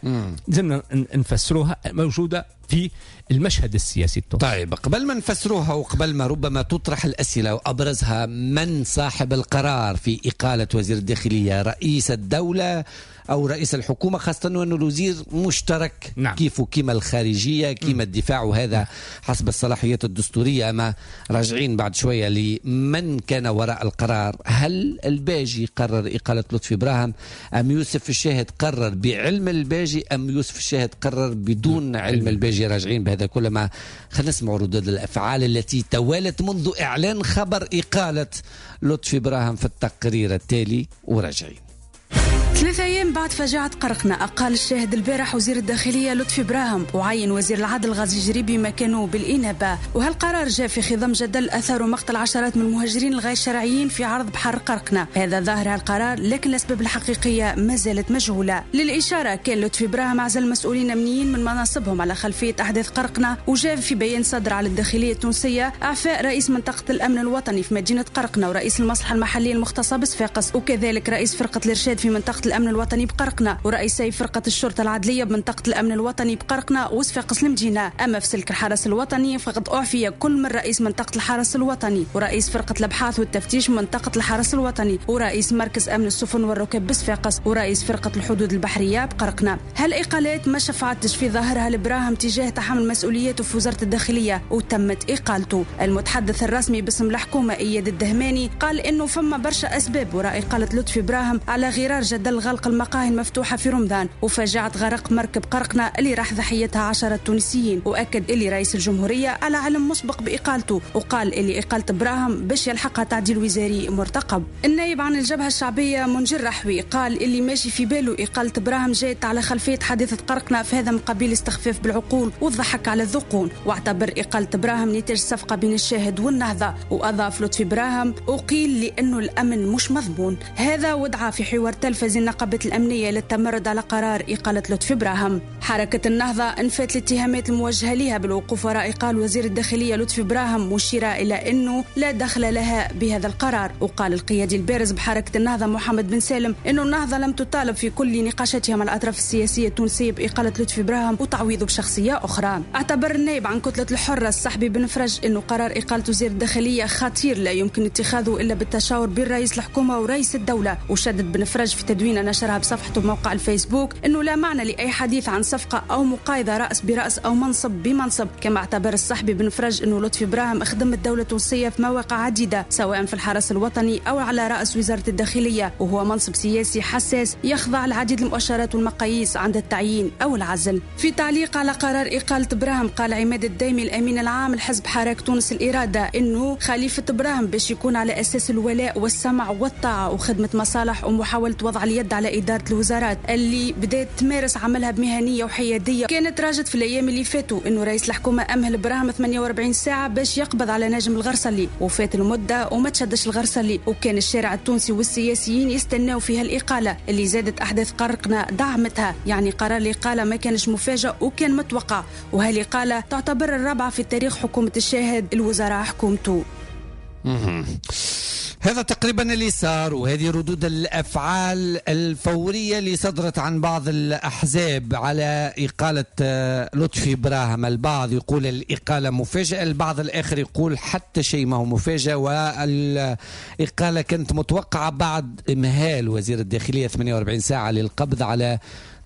لازمنا نفسروها موجودة في المشهد السياسي التونسي. طيب قبل ما نفسروها وقبل ما ربما تطرح الأسئلة وأبرزها من صاحب القرار في إقالة وزير الداخلية، رئيس الدولة أو رئيس الحكومة، خاصة أنه الوزير مشترك. نعم. كيف كيما الخارجية كيما الدفاع، وهذا حسب الصلاحيات الدستورية. ما راجعين بعد شوية لمن كان وراء القرار، هل الباجي قرر إقالة لطفي براهم أم يوسف الشاهد قرر بعلم الباجي أم يوسف الشاهد قرر بدون علم الباجي؟ راجعين بهذا كل ما خلينا نسمع ردود الأفعال التي توالت منذ إعلان خبر إقالة لطفي براهم في التقرير التالي، وراجعين. ثلاثة أيام بعد فجعة قرقنا أقال الشاهد البارح وزير الداخلية لطفي براهم وعين وزير العدل غازي جريبي مكانه بالإنابة. وهالقرار جاء في خضم جدل أثار مقتل عشرات من المهاجرين الغير شرعيين في عرض بحر قرقنا. هذا ظاهر هالقرار، لكن الأسباب الحقيقية ما زالت مجهولة. للإشارة كان لطفي براهم عزل مسؤولين أمنيين من مناصبهم على خلفية أحداث قرقنا، وجاء في بيان صدر على الداخلية التونسية إعفاء رئيس منطقة الأمن الوطني في مدينة قرقنا ورئيس المصلحة المحلية المختصة بصفاقس، وكذلك رئيس فرقة الإرشاد في منطقة الأمن الوطني بقرقنة ورئيسي فرقة الشرطة العدلية بمنطقة الأمن الوطني بقرقنة وصفاقس المدينة. أما في سلك الحرس الوطني فقد أعفي كل من رئيس منطقة الحرس الوطني ورئيس فرقة الأبحاث والتفتيش منطقة الحرس الوطني ورئيس مركز أمن السفن والركاب بصفاقس ورئيس فرقة الحدود البحرية بقرقنة. هالإقالات ما شفعتش في ظاهرها لبراهم تجاه تحمل مسؤوليته في وزارة الداخلية وتمت إقالته. المتحدث الرسمي باسم الحكومة إياد الدهماني قال إنه فما برشا أسباب وراء إقالة لطفي براهم على غرار جدل قبل غلق المقاهي المفتوحة في رمضان وفاجعة غرق مركب قرقنة اللي راح ضحيتها عشرة تونسيين، وأكد اللي رئيس الجمهورية على علم مسبق بإقالته، وقال اللي إقالة براهم باش يلحقها تعديل وزاري مرتقب. النائب عن الجبهة الشعبية منجر رحوي قال اللي ماشي في باله إقالة براهم جات على خلفية حادثة قرقنة، فهذا من قبيل استخفاف بالعقول والضحك على الذقون، واعتبر إقالة براهم نتاج صفقة بين الشاهد والنهضة. وأضاف لطفي براهم أقيل لأنه الأمن مش مضمون. هذا ودعا في حوار تلفزي النقابة الأمنية للتمرد على قرار إقالة لطفي براهم. حركة النهضة انفت الاتهامات الموجهة لها بالوقوف وراء إقالة وزير الداخلية لطفي براهم، مشيرة إلى أنه لا دخل لها بهذا القرار. وقال القيادي البارز بحركة النهضة محمد بن سالم أنه النهضة لم تطالب في كل نقاشاتها مع الأطراف السياسية التونسية بإقالة لطفي براهم وتعويضه بشخصية أخرى. اعتبر النائب عن كتلة الحرة الصحبي بن فرج أنه قرار إقالة وزير الداخلية خطير لا يمكن اتخاذه إلا بالتشاور بين رئيس الحكومة ورئيس الدولة. وشدد بن فرج في تدوينة نشرها بصفحته بموقع الفيسبوك أنه لا معنى لأي حديث عن صفقة أو مقايضة رأس برأس أو منصب بمنصب. كما اعتبر الصحبي بن فرج أنه لطفي براهم خدم الدولة التونسية في مواقع عديدة سواء في الحرس الوطني أو على رأس وزارة الداخلية، وهو منصب سياسي حساس يخضع لعديد المؤشرات والمقاييس عند التعيين أو العزل. في تعليق على قرار إقالة براهم قال عماد الدايمي الأمين العام لحزب حراك تونس الإرادة أنه خليفة براهم باش يكون على أساس الولاء والسمع والطاعة وخدمة مصالح ومحاولة وضع اليد على إدارة الوزارات اللي بدأت تمارس عملها بمهنية وحيادية. كانت راجت في الأيام اللي فاتوا أنه رئيس الحكومة أمهل براهم ثمانية وأربعين ساعة باش يقبض على ناجم الغرسلي، وفات المدة وما تشدش الغرسلي، وكان الشارع التونسي والسياسيين يستناو فيها الإقالة اللي زادت أحداث قرقنا دعمتها. يعني قرار الإقالة ما كانش مفاجئ وكان متوقع، وهالإقالة تعتبر الرابعة في تاريخ حكومة الشاهد الوزراء حكومته. هذا تقريبا اللي صار، وهذه ردود الأفعال الفورية اللي صدرت عن بعض الأحزاب على إقالة لطفي براهم. البعض يقول الإقالة مفاجئة، البعض الآخر يقول حتى شيء ما هو مفاجئ، والإقالة كانت متوقعة بعد إمهال وزير الداخلية ثمانية وأربعين ساعة للقبض على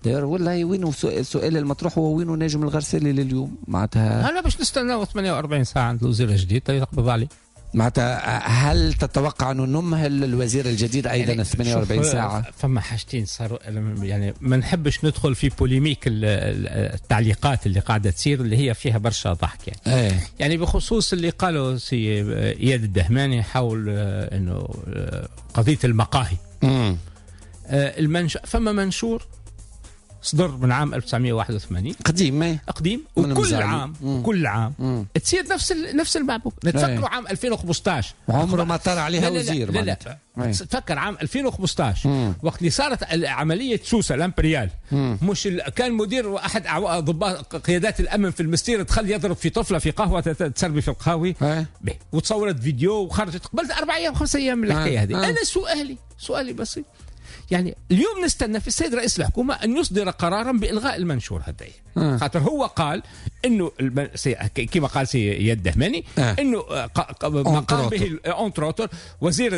داير. والله وينه السؤال المطروح هو وينه ناجم الغرسلي لليوم؟ معناتها هلا باش نستناو ثمانية وأربعين ساعة عند الوزير الجديد يقبض عليه. معناتها هل تتوقع أنه نمهل الوزير الجديد أيضا يعني ثمانية وأربعين ساعة؟ فما حاجتين صاروا، يعني ما نحبش ندخل في polémique التعليقات اللي قاعدة تصير اللي هي فيها برشا ضحك يعني. ايه. يعني بخصوص اللي قالوا سي إياد الدهماني حول أنه قضية المقاهي. مم. المنش... فما منشور صدر من عام ألف وتسعمية وواحد وثمانين قديم قديم، وكل عام مم. كل عام مم. تصير نفس ال... نفس المعبوك. نتفكروا عام ألفين وخمسطاش عمره ما طلع عليها وزير. لا لا, لا. تفكر عام ألفين وخمسطاش مم. وقت اللي صارت عملية سوسة الامبريال، مش ال... كان مدير احد ضباط قيادات الامن في المستير دخل يضرب في طفله في قهوة تسربي في القهاوي وتصورت فيديو وخرجت قبل اربع ايام خمس ايام من الحكاية هذه. انا سؤالي سؤالي بسيط، يعني اليوم نستنى في السيد رئيس الحكومة أن يصدر قرارا بإلغاء المنشور هذا، آه. خاطر هو قال إنه الم... سي... كما قال سي إياد الدهماني آه. إنه ما قام به entre autres وزير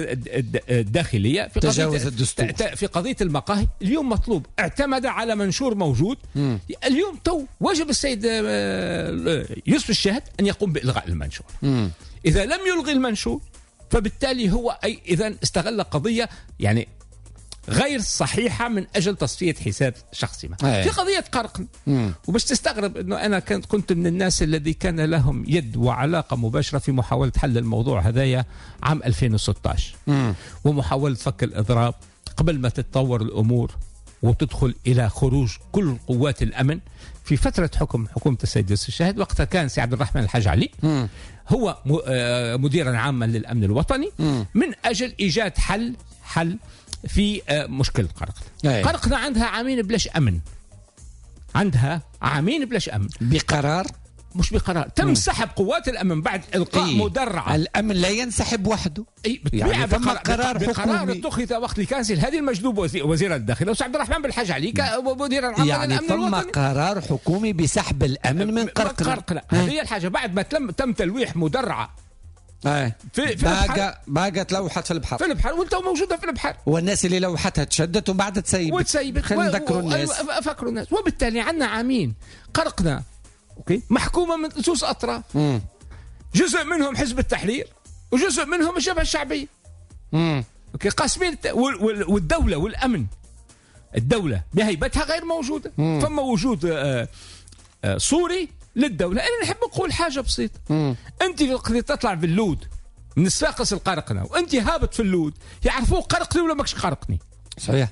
الداخلية في تجاوز الدستور في قضية المقاهي. اليوم مطلوب اعتمد على منشور موجود. مم. اليوم تو واجب السيد يوسف الشاهد أن يقوم بإلغاء المنشور. مم. إذا لم يلغي المنشور فبالتالي هو أي إذا استغل قضية يعني غير صحيحة من أجل تصفية حساب شخصي ما. في قضية قرقن، وباش تستغرب أنه أنا كنت من الناس الذي كان لهم يد وعلاقة مباشرة في محاولة حل الموضوع هذايا عام ألفين وستطاش، ومحاولة فك الإضراب قبل ما تتطور الأمور وتدخل إلى خروج كل قوات الأمن في فترة حكم حكومة السيد يوسف الشاهد. وقتها كان سي عبد الرحمن الحاج علي مم. هو مديرا عاما للأمن الوطني، مم. من أجل إيجاد حل حل في مشكلة قرقنة. قرقنة عندها عامين بلاش أمن، عندها عامين بلاش أمن بقرار مش بقرار تم مم. سحب قوات الأمن بعد إلقاء إيه؟ مدرعة. الأمن لا ينسحب وحده، إيه يعني ثم قرار حكومي اتخذ وقت اللي كان هذه المجدوب وزير الداخلية وسي عبد الرحمن بالحاج علي مدير العام يعني للأمن ثم الوطني. قرار حكومي بسحب الأمن من قرقنة. هذه الحاجة بعد ما تم تم تلويح مدرعة ايه في في باقة باقة تلوحت في البحر في البحر وانت موجودة في البحر، والناس اللي لوحتها تشدت ومن بعد تسيبت وتسيبت. خلينا نذكروا الناس، فكروا الناس. وبالتالي عندنا عامين قرقنا okay محكومة من زوز اطراف، مم. جزء منهم حزب التحرير وجزء منهم الجبهة الشعبية. مم. okay قاسمين والدولة والامن الدولة بهيبتها غير موجودة. مم. فما وجود آه آه صوري للدولة. انا نحب نقول حاجة بسيطة. مم. انت وقت تطلع في اللود من الصفاقس القرقنه وانت هابط في اللود يعرفوك قرقني ولا ماكش قرقني. صحيح.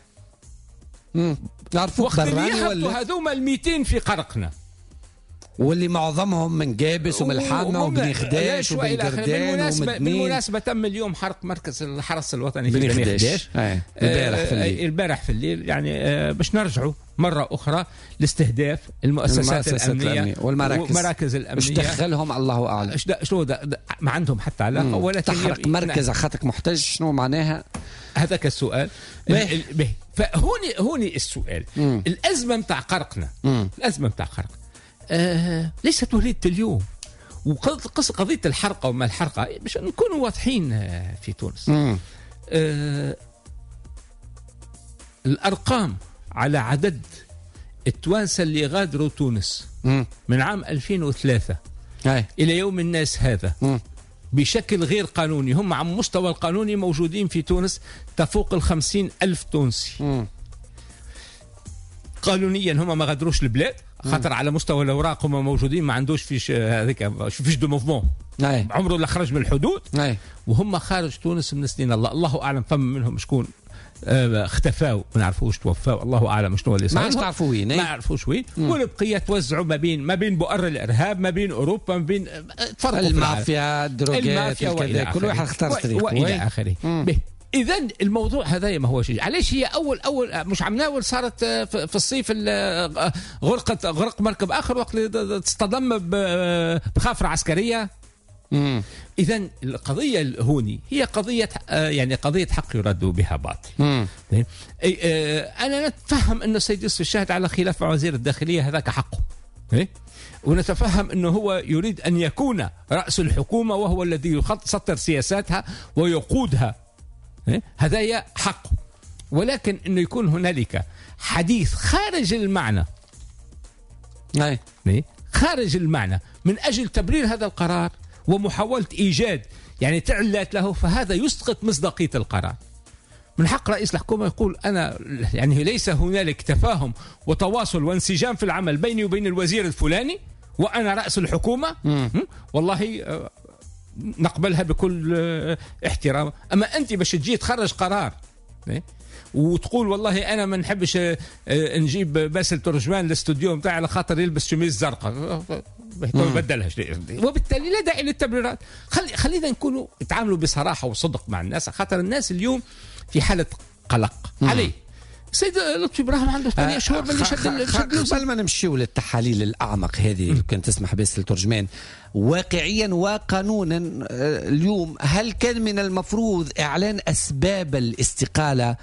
امم يعرفوك براني ولا هذوما ال مئتين في قرقنه واللي معظمهم من جابس ومن الحامه وبني خداش وبن قردان ومدنين. بالمناسبة تم اليوم حرق مركز الحرس الوطني في بني خداش البارح في الليل. البارح في الليل يعني باش نرجعوا مرة اخرى لاستهداف المؤسسات, المؤسسات الامنية, الأمنية والمراكز والمراكز الامنية. ايش دخلهم الله اعلم. شنو ما عندهم حتى علاقة. ولا تحرق مركز على خاطرك محتج شنو معناها؟ هذاك السؤال. به فهوني هوني السؤال. مم. الازمة نتاع قرقنا. مم. الازمة نتاع قرقنا آه ليست وليدة اليوم. وقضية الحرقة وما الحرقة باش نكونوا واضحين في تونس. آه الأرقام على عدد التوانسة اللي غادروا تونس مم. من عام ألفين وثلاثة أي. إلى يوم الناس هذا مم. بشكل غير قانوني، هم على المستوى القانوني موجودين في تونس تفوق الخمسين ألف تونسي. مم. قانونيا هم ما غادروش البلاد خاطر على مستوى الاوراق هم موجودين، ما عندوش fiche هذيك fiche de mouvement، عمره لا خرج من الحدود. أي. وهم خارج تونس من سنين الله الله اعلم فما منهم شكون اختفاو ما نعرفوش توفاو الله اعلم شنو اللي صار، ما تعرفوا وين، ما عرفوش وين. والبقية توزعوا ما بين ما بين بؤر الارهاب، ما بين اوروبا، ما بين تفرقوا المافيا، الدروغات، الكذا، كل واحد اختار طريقه والى اخره. إذا الموضوع هذا ما هو شيء. علاش هي أول أول مش عمناول صارت في الصيف غرقت غرق مركب آخر وقت تصطدم بخافرة عسكرية. إذا القضية الهوني هي قضية يعني قضية حق يراد بها باطل. أنا نتفهم أن السيد يوسف الشاهد على خلاف مع وزير الداخلية، هذاك حقه، ونتفهم أنه هو يريد أن يكون رأس الحكومة وهو الذي يسطر سياساتها ويقودها، هذا حقه. ولكن أنه يكون هنالك حديث خارج المعنى، خارج المعنى من أجل تبرير هذا القرار ومحاولة إيجاد يعني تعلات له، فهذا يسقط مصداقية القرار. من حق رئيس الحكومة يقول أنا يعني ليس هنالك تفاهم وتواصل وانسجام في العمل بيني وبين الوزير الفلاني وأنا رأس الحكومة، مم. والله نقبلها بكل احترام. أما أنت باش تجي تخرج قرار وتقول والله أنا ما نحبش نجيب باسل ترجمان للاستوديو متاعي على خاطر يلبس شميز زرقاء، بدلها، وبالتالي لا داعي للتبريرات. خلي خلينا نكونوا نتعاملوا بصراحة وصدق مع الناس، خاطر الناس اليوم في حالة قلق عليه. السيد لطفي براهم عنده ثمانية شهور من اللي شد. قبل ما نمشيو للتحاليل الأعمق هذه لو كان تسمح بس الترجمان، واقعيا وقانونا اليوم هل كان من المفروض إعلان أسباب الاستقالة،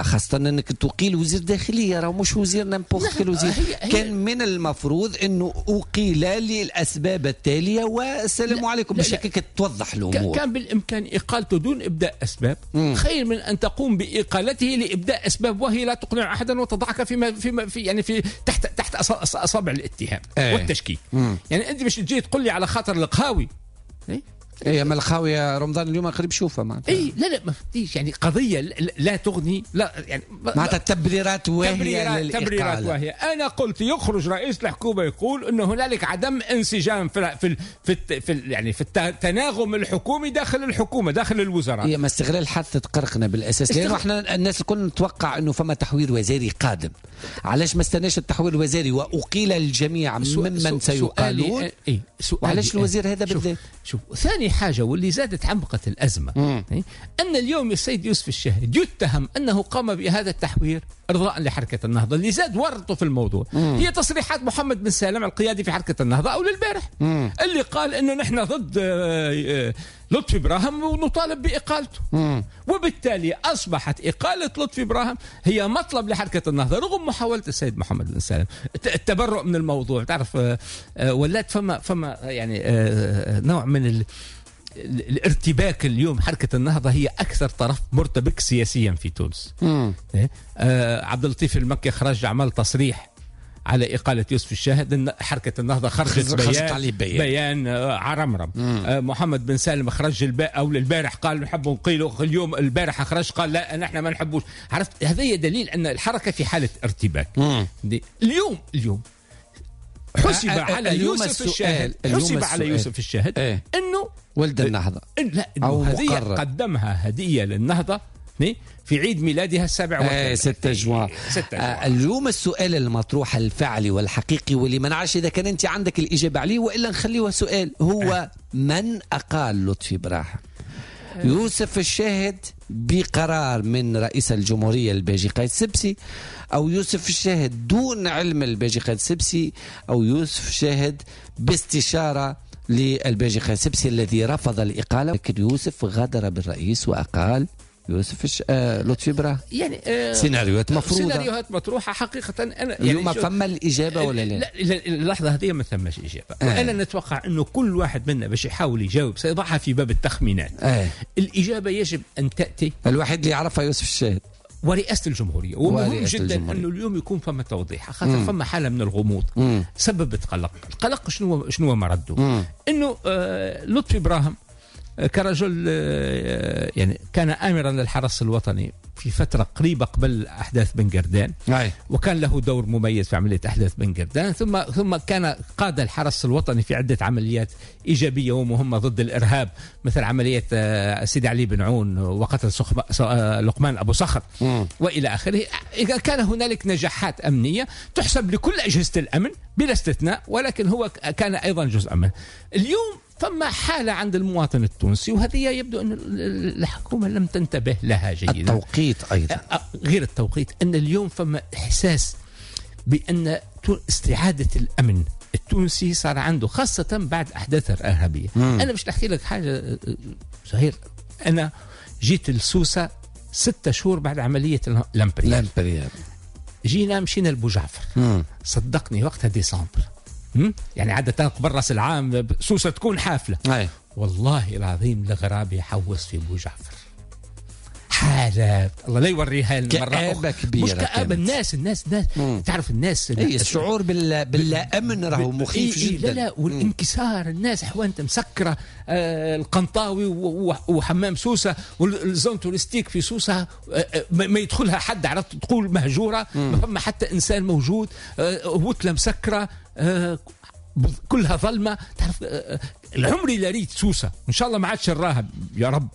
خاصة أنك تقيل وزير داخلية راه مش وزير n'importe quel وزير، كان من المفروض أنه أقيل للأسباب التالية والسلام عليكم باش هكاك توضح الأمور. كان بالإمكان إقالته دون إبداء أسباب، مم. خير من أن تقوم بإقالته لإبداء أسباب وهي لا تقنع أحدا وتضعك فيما فيما في يعني في تحت تحت أصابع الاتهام ايه. والتشكيك. مم. يعني أنت باش تجي تقول لي على خاطر القهاوي، إيه؟ ايه ما الخاوية رمضان اليوم قريب شوفها معناتها. اي لا لا ما فتيش يعني قضية لا تغني لا يعني معناتها تبريرات واهية للإقالة. تبريرات واهية. أنا قلت يخرج رئيس الحكومة يقول إنه هنالك عدم انسجام في في في, في يعني في التناغم الحكومي داخل الحكومة داخل الوزراء. هي ما استغلال حادثة قرقنا بالأساس، لأنه احنا الناس الكل نتوقع إنه فما تحوير وزاري قادم. علاش ما استناش التحوير الوزاري وأقيل الجميع ممن سيقالون؟ إيه وعلاش الوزير هذا بالذات؟ شوف ثاني حاجة واللي زادت عمقت الأزمة، مم. أن اليوم السيد يوسف الشاهد يتهم أنه قام بهذا التحوير إرضاء لحركة النهضة، اللي زاد ورطة في الموضوع. مم. هي تصريحات محمد بن سالم القيادي في حركة النهضة أو للبارح، مم. اللي قال أنه نحن ضد لطفي براهم ونطالب بإقالته. مم. وبالتالي أصبحت إقالة لطفي براهم هي مطلب لحركة النهضة رغم محاولة السيد محمد بن سالم التبرؤ من الموضوع. تعرف ولات فما فما يعني نوع من ال الارتباك اليوم. حركة النهضة هي أكثر طرف مرتبك سياسيا في تونس. آه عبد اللطيف المكي خرج عمل تصريح على إقالة يوسف الشاهد، حركة النهضة خرجت بيان, عليه بيان, بيان عرمرم. محمد بن سالم خرج الب... أو البارح قال نحب نقيله، اليوم البارح خرج قال لا نحن ما نحبوش. عرفت، هذا دليل أن الحركة في حالة ارتباك. مم. اليوم اليوم حسب على يوسف الشاهد، حسب على يوسف الشاهد ايه؟ انه ولد النهضة، لا انه هدية قدمها هدية للنهضة في عيد ميلادها السابع والثلاثين ستة جوان. آه اليوم السؤال المطروح الفعلي والحقيقي واللي ما نعرفش إذا كان أنت عندك الإجابة عليه وإلا نخليه سؤال، هو من أقال لطفي براهم؟ يوسف الشاهد بقرار من رئيس الجمهورية الباجي قايد السبسي، أو يوسف الشاهد دون علم الباجي قايد السبسي، أو يوسف الشاهد باستشارة للباجي قايد السبسي الذي رفض الإقالة، لكن يوسف غادر بالرئيس وأقال يوسف الش... آه... لطفي براهم. يعني آه... سيناريوهات مفروضة، سيناريوهات مطروحة حقيقة. أنا يعني اليوم ما فما الإجابة ولا لا؟ لا، اللحظة هذه ما ثماش إجابة. آه. وأنا نتوقع أنه كل واحد منا باش يحاول يجاوب سيضعها في باب التخمينات. آه. الإجابة يجب أن تأتي الوحيد اللي يعرفها يوسف الشاهد ورئاسة الجمهورية. ومهم جدا أنه اليوم يكون فما توضيح، خاطر فما حالة من الغموض مم. سببت قلق. القلق شنو شنو مرده؟ أنه آه لطفي براهم كرجل يعني كان آمرا للحرس الوطني في فترة قريبة قبل أحداث بن قردان، وكان له دور مميز في عملية أحداث بن قردان، ثم ثم كان قاد الحرس الوطني في عدة عمليات إيجابية ومهمة ضد الإرهاب، مثل عملية سيدي علي بن عون وقتل لقمان أبو صخر وإلى آخره. كان هنالك نجاحات أمنية تحسب لكل أجهزة الأمن بلا استثناء، ولكن هو كان أيضا جزء منه. اليوم فما حالة عند المواطن التونسي، وهذه يبدو أن الحكومة لم تنتبه لها جيدا. التوقيت أيضا، غير التوقيت، أن اليوم فما إحساس بأن استعادة الأمن التونسي صار عنده، خاصة بعد أحداث الإرهابية. مم. أنا مش نحكي لك حاجة زهير، أنا جيت لسوسة ستة شهور بعد عملية لامبريال. جينا مشينا لبوجعفر، صدقني وقتها ديسمبر، يعني عادة قبل راس العام سوسة تكون حافلة. أي. والله العظيم الغراب يحوس في بوجعفر حالة الله لا يوريها لنا مرة كآبة كبيرة، مش كآبة، الناس الناس الناس مم. تعرف الناس أي الشعور بال باللا أمن راهو مخيف إيه جدا. لا لا، والانكسار، الناس حوانت مسكرة، آه القنطاوي وحمام سوسة وال zone touristique في سوسة آه ما يدخلها حد، عرفت تقول مهجورة، ما فما حتى إنسان موجود، آه وتلة مسكرة، آه كلها ظلمة. تعرف آه العمري لا ريت سوسة إن شاء الله ما عادش نراها يا رب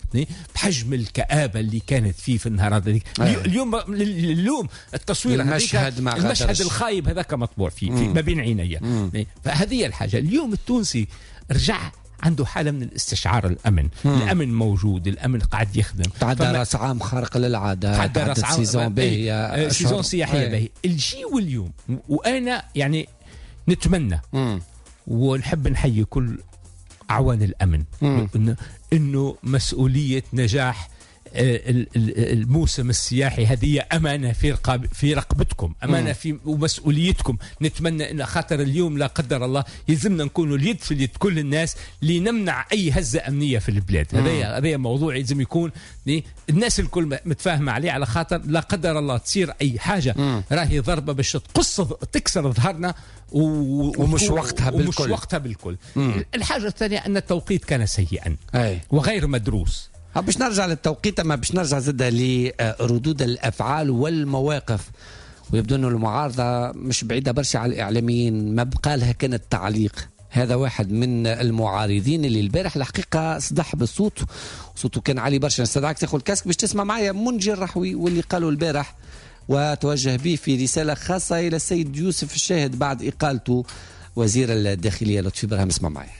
بحجم الكآبة اللي كانت فيه في النهار هذيك. اليوم اليوم التصوير المشهد مع المشهد الخايب هذاك مطبوع فيه في ما بين عيني. فهذه الحاجة اليوم التونسي رجع عنده حالة من الاستشعار الأمن. مم. الأمن موجود، الأمن قاعد يخدم. تعدى راس عام خارق للعادة، تعدى راس عام saison باهية، saison سياحية باهية. الجي واليوم وأنا يعني نتمنى مم. ونحب نحيي كل أعوان الأمن إنه, إنه مسؤولية نجاح الموسم السياحي هذه أمانة في رقاب في رقبتكم، أمانة في ومسؤوليتكم. نتمنى إن خاطر اليوم لا قدر الله يلزمنا نكونوا اليد في اليد كل الناس لنمنع أي هزة أمنية في البلاد. هذا هذا موضوع يلزم يكون الناس الكل متفاهمة عليه، على خاطر لا قدر الله تصير أي حاجة مم. راهي ضربة باش تقص تكسر ظهرنا و... ومش وقتها بالكل، ومش وقتها بالكل. مم. الحاجة الثانية أن التوقيت كان سيئا أي. وغير مدروس. باش نرجع للتوقيت، اما باش نرجع زادة لردود الافعال والمواقف، ويبدو انه المعارضة مش بعيدة برشا على الاعلاميين، ما بقى لها كان التعليق. هذا واحد من المعارضين اللي البارح الحقيقة صدح بالصوت، صوته كان عالي برشا. نستدعك تاخذ ال casque باش تسمع معايا منجي الرحوي واللي قالوا البارح وتوجه به في رسالة خاصة الى السيد يوسف الشاهد بعد اقالته وزير الداخلية لطفي براهم. اسمع معايا.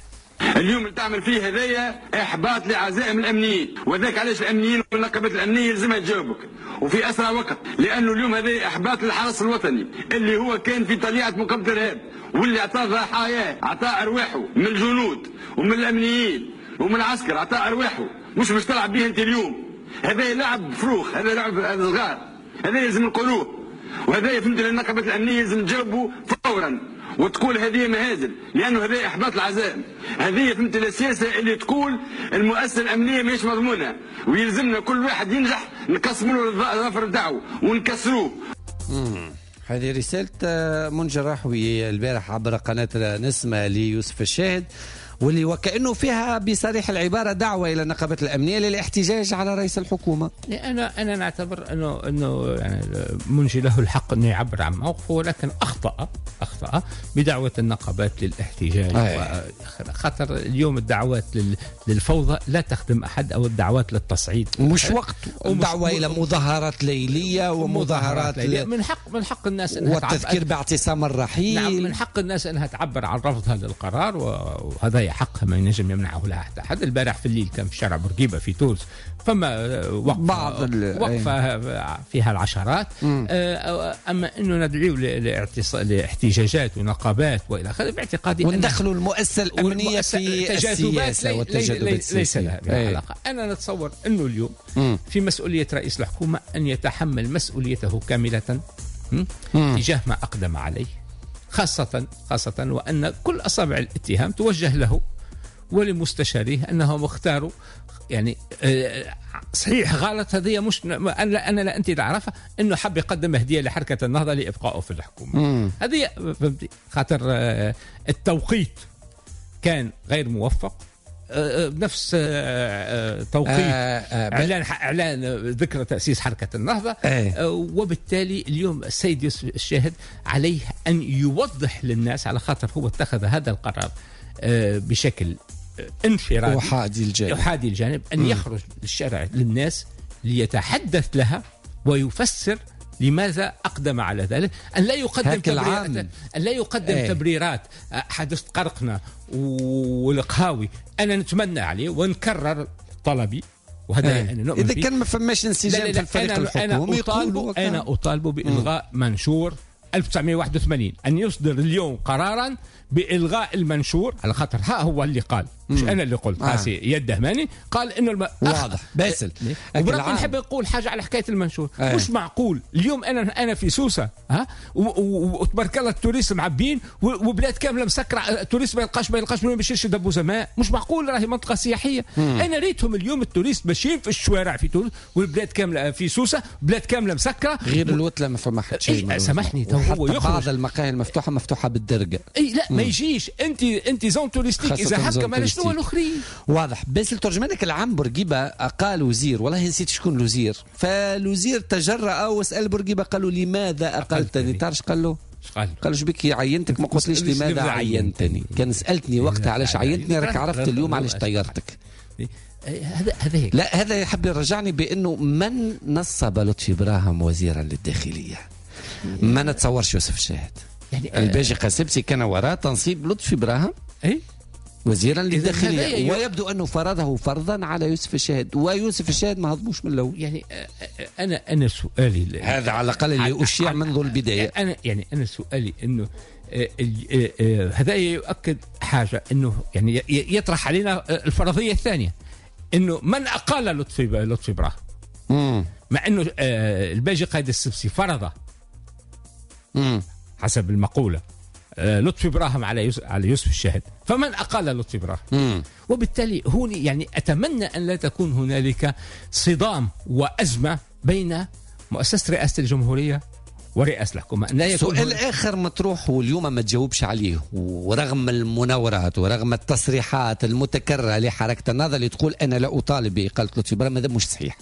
اليوم اللي تعمل فيه هذايا احباط لعزائم الامنيين، وذاك علاش الامنيين والنقابات الامنية لازمها تجاوبك وفي اسرع وقت، لانه اليوم هذا احباط للحرس الوطني اللي هو كان في طليعة مقاومة الارهاب، واللي اعطاه ضحاياه، اعطاه ارواحه من الجنود ومن الامنيين ومن العسكر، اعطاه ارواحه، مش باش تلعب به انت اليوم. هذا لعب فروخ، هذا لعب صغار، هذا لازم نقولوه، وهذا فهمت النقابات الامنية لازم تجاوبوا فورا وتقول هذه مهازل، لانه هذه احباط العزائم، هذه فهمت السياسة اللي تقول المؤسسة الامنية ماهيش مضمونه، ويلزمنا كل واحد ينجح نقسموا له الظفر نتاعو ونكسروه. هذه رسالة منجي الرحوي البارح عبر قناة نسمة ليوسف الشاهد، واللي وكأنه فيها بصريح العبارة دعوة إلى النقابات الأمنية للاحتجاج على رئيس الحكومة. أنا أنا نعتبر أنه أنه يعني منجي له الحق أنه يعبر عن موقفه، ولكن أخطأ أخطأ بدعوة النقابات للاحتجاج. خاطر اليوم الدعوات للفوضى لا تخدم أحد، أو الدعوات للتصعيد مش وقت، الدعوة إلى مظاهرات ليلية ومظاهرات ليلية. من حق من حق الناس أنها والتذكير باعتصام الرحيل. نعم، من حق الناس أنها تعبر عن رفضها للقرار، وهذا حقها ما ينجم يمنعه لها حتى أحد. البارح في الليل كان في شارع بورقيبة في تونس فما وقفة بعض وقفة فيها العشرات. أما أنه ندعو لاحتجاجات ونقابات وإلى آخره، باعتقادي وندخلوا المؤسسة الأمنية في السياسة والتجاذبات ليس لها علاقة. أنا نتصور أنه اليوم مم. في مسؤولية رئيس الحكومة أن يتحمل مسؤوليته كاملة تجاه ما أقدم عليه، خاصة خاصة وأن كل أصابع الاتهام توجه له ولمستشاريه أنهم اختاروا يعني صحيح غلط، هذه مش أنا أنا لا أنت تعرفها، أنه حب يقدم هدية لحركة النهضة لإبقائه في الحكومة. هذه خاطر التوقيت كان غير موفق، بنفس توقيت اعلان اعلان ذكرى تاسيس حركة النهضة. آه. وبالتالي اليوم السيد يوسف الشاهد عليه ان يوضح للناس، على خاطر هو اتخذ هذا القرار بشكل انفرادي احادي الجانب، احادي الجانب ان م. يخرج للشارع للناس ليتحدث لها ويفسر لماذا أقدم على ذلك، أن لا يقدم تبريرات، أن لا يقدم ايه. تبريرات حدث قرقنا والقهاوي. أنا نتمنى عليه ونكرر طلبي، وهذا ايه. أنا نؤمن إذا كان ما فماش انسجام في الفريق أنا الحكومي، أنا أطالب أنا أطالب بإلغاء م. منشور ألف وتسعمائة وواحد وثمانين، أن يصدر اليوم قرارا بإلغاء المنشور، على خاطر ها هو اللي قال، مش أنا اللي قلت. آه. يد دهماني قال إنه الم... واضح باسل. وبربي نحب نقول حاجة على حكاية المنشور. آه. مش معقول اليوم أنا أنا في سوسة ها وتبارك الله ال touristes معبين وبلاد كاملة مسكرة، ال touristes ما يلقاش ما يلقاش وين باش يشري دبوزة ماء. مش معقول، راهي منطقة سياحية. مم. أنا ريتهم اليوم ال touristes ماشيين في الشوارع في تونس والبلاد كاملة في سوسة، بلاد كاملة مسكرة، غير الوتلة ما فما حتى شيء. إيه سامحني، تو هو يخرج بعض المقاهي المفتوحة مفتوحة بالدرجة. اي لا ما يجيش انت انت zone touristique اذا هكا ما شنو الاخرين. واضح. بس الترجمانك العام بورقيبة قال وزير، والله نسيت شكون الوزير، فالوزير تجرأ وسأل بورقيبة قالوا لماذا اقلتني؟ تعرفش قال له؟ قال له شبيك عينتك ما قلتليش لماذا عينتني؟ كان سألتني وقتها علاش عينتني راك عرفت اليوم علاش طيرتك. هذا هذا هيك. لا هذا يحب يرجعني بانه من نصب لطفي براهم وزيرا للداخليه؟ ما نتصورش يوسف الشاهد. يعني الباجي قاسبسي كان وراء تنصيب لطفي براهم اي وزيرا للداخليه، ويبدو انه فرضه فرضا على يوسف الشاهد، ويوسف الشاهد ما هضموش من الاول. يعني انا انا سؤالي هذا على الاقل اللي اشيع منذ البداية. انا يعني انا سؤالي انه هذا يؤكد حاجة، انه يعني يطرح علينا الفرضية الثانية، انه من اقال لطفي لطفي براهم، مع انه الباجي قائد السبسي فرضه مم. حسب المقولة لطفي براهم على يوسف على يوسف الشاهد، فمن أقال لطفي براهم؟ وبالتالي هون يعني أتمنى أن لا تكون هنالك صدام وأزمة بين مؤسسة رئاسة الجمهورية ورئاسة الحكومة. لا يكون سؤال آخر مطروح واليوم ما تجاوبش عليه، ورغم المناورات ورغم التصريحات المتكررة لحركة النهضة اللي تقول أنا لا أطالب بإقالة لطفي براهم، هذا مش صحيح،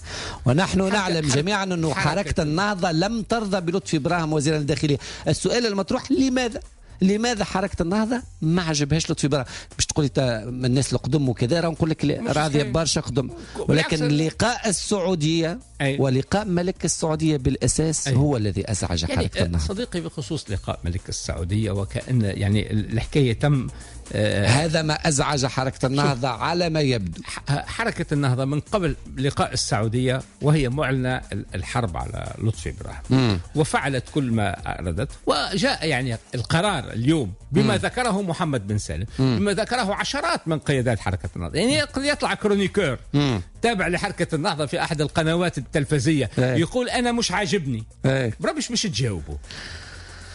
ونحن نعلم جميعا أنه حركة النهضة لم ترضى بلطفي براهم وزير الداخلية. السؤال المطروح لماذا؟ لماذا حركة النهضة ما عجبهاش لطفي براهم؟ باش تقولي الناس القدم وكذا، راه نقول لك راضية برشا قدم، ولكن لقاء السعودية أي. ولقاء ملك السعودية بالأساس أي. هو الذي أزعج يعني حركة النهضة. صديقي بخصوص لقاء ملك السعودية، وكأن يعني الحكاية تم آه هذا ما أزعج حركة النهضة على ما يبدو. حركة النهضة من قبل لقاء السعودية وهي معلنة الحرب على لطفي براهم، وفعلت كل ما أرادت، وجاء يعني القرار اليوم بما مم. ذكره محمد بن سالم، مم. بما ذكره عشرات من قيادات حركة النهضة. يعني يطلع chroniqueur مم. تابع لحركة النهضة في أحد القنوات التلفزية ايه. يقول أنا مش عاجبني ايه. بربش مش تجاوبه،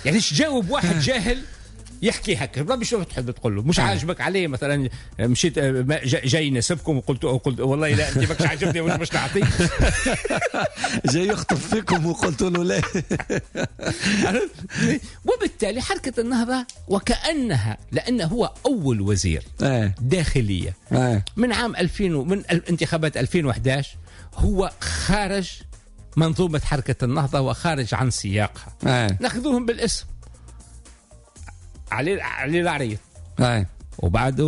يعني تجاوب واحد جاهل يحكي هكا بربي شو تحب تقول له مش عاجبك عليه مثلا مشيت جاي يناسبكم وقلت قلت والله لا انت ماكش عاجبني ومش باش نعطيك. جاي يخطف فيكم وقلت له لا. وبالتالي حركة النهضة وكانها لانه هو اول وزير داخلية من عام ألفين من انتخابات ألفين وأحد عشر هو خارج منظومة حركة النهضة وخارج عن سياقها. ناخذوهم بالاسم علي علي العريض وبعده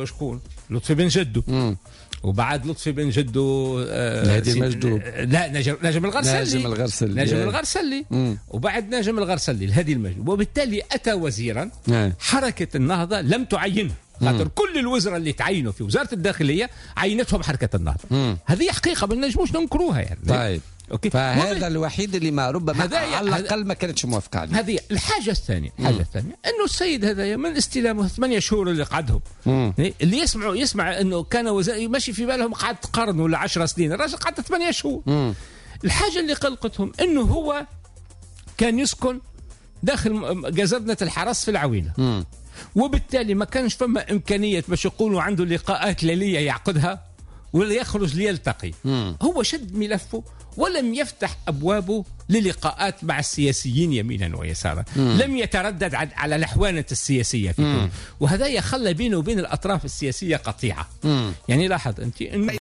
شكون لطفي بن جدو مم. وبعد لطفي بن جدو آه المجدوب لا نجم نجم الغرسلي نجم الغرسلي نجم الغرسلي وبعد نجم الغرسلي الهادي المجدوب. وبالتالي أتى وزيرا آه. حركة النهضة لم تعينه خاطر كل الوزراء اللي تعينوا في وزارة الداخلية عينتهم حركة النهضة. هذه حقيقة ما نجموش ننكروها يعني. طيب okay. فهذا وب... الوحيد اللي ما ربما على الأقل ما كانتش موافقة عليه. هذه الحاجة الثانية. الحاجة الثانية أنه السيد هذا من استلامه ثمانية شهور اللي قعدهم مم. اللي يسمعوا يسمع أنه كان وزير ماشي في بالهم قعد قرن ولا عشر سنين، الراجل قعد ثمانية شهور. مم. الحاجة اللي قلقتهم أنه هو كان يسكن داخل جزرنة الحرس في العوينة. مم. وبالتالي ما كانش فما إمكانية باش يقولوا عنده لقاءات ليلية يعقدها ولا يخرج ليلتقي. مم. هو شد ملفه ولم يفتح أبوابه للقاءات مع السياسيين يمينا ويسارا. مم. لم يتردد على الأحوانة السياسية في تونس، وهذا يخلى بينه وبين الأطراف السياسية قطيعة. مم. يعني لاحظ أنت إنه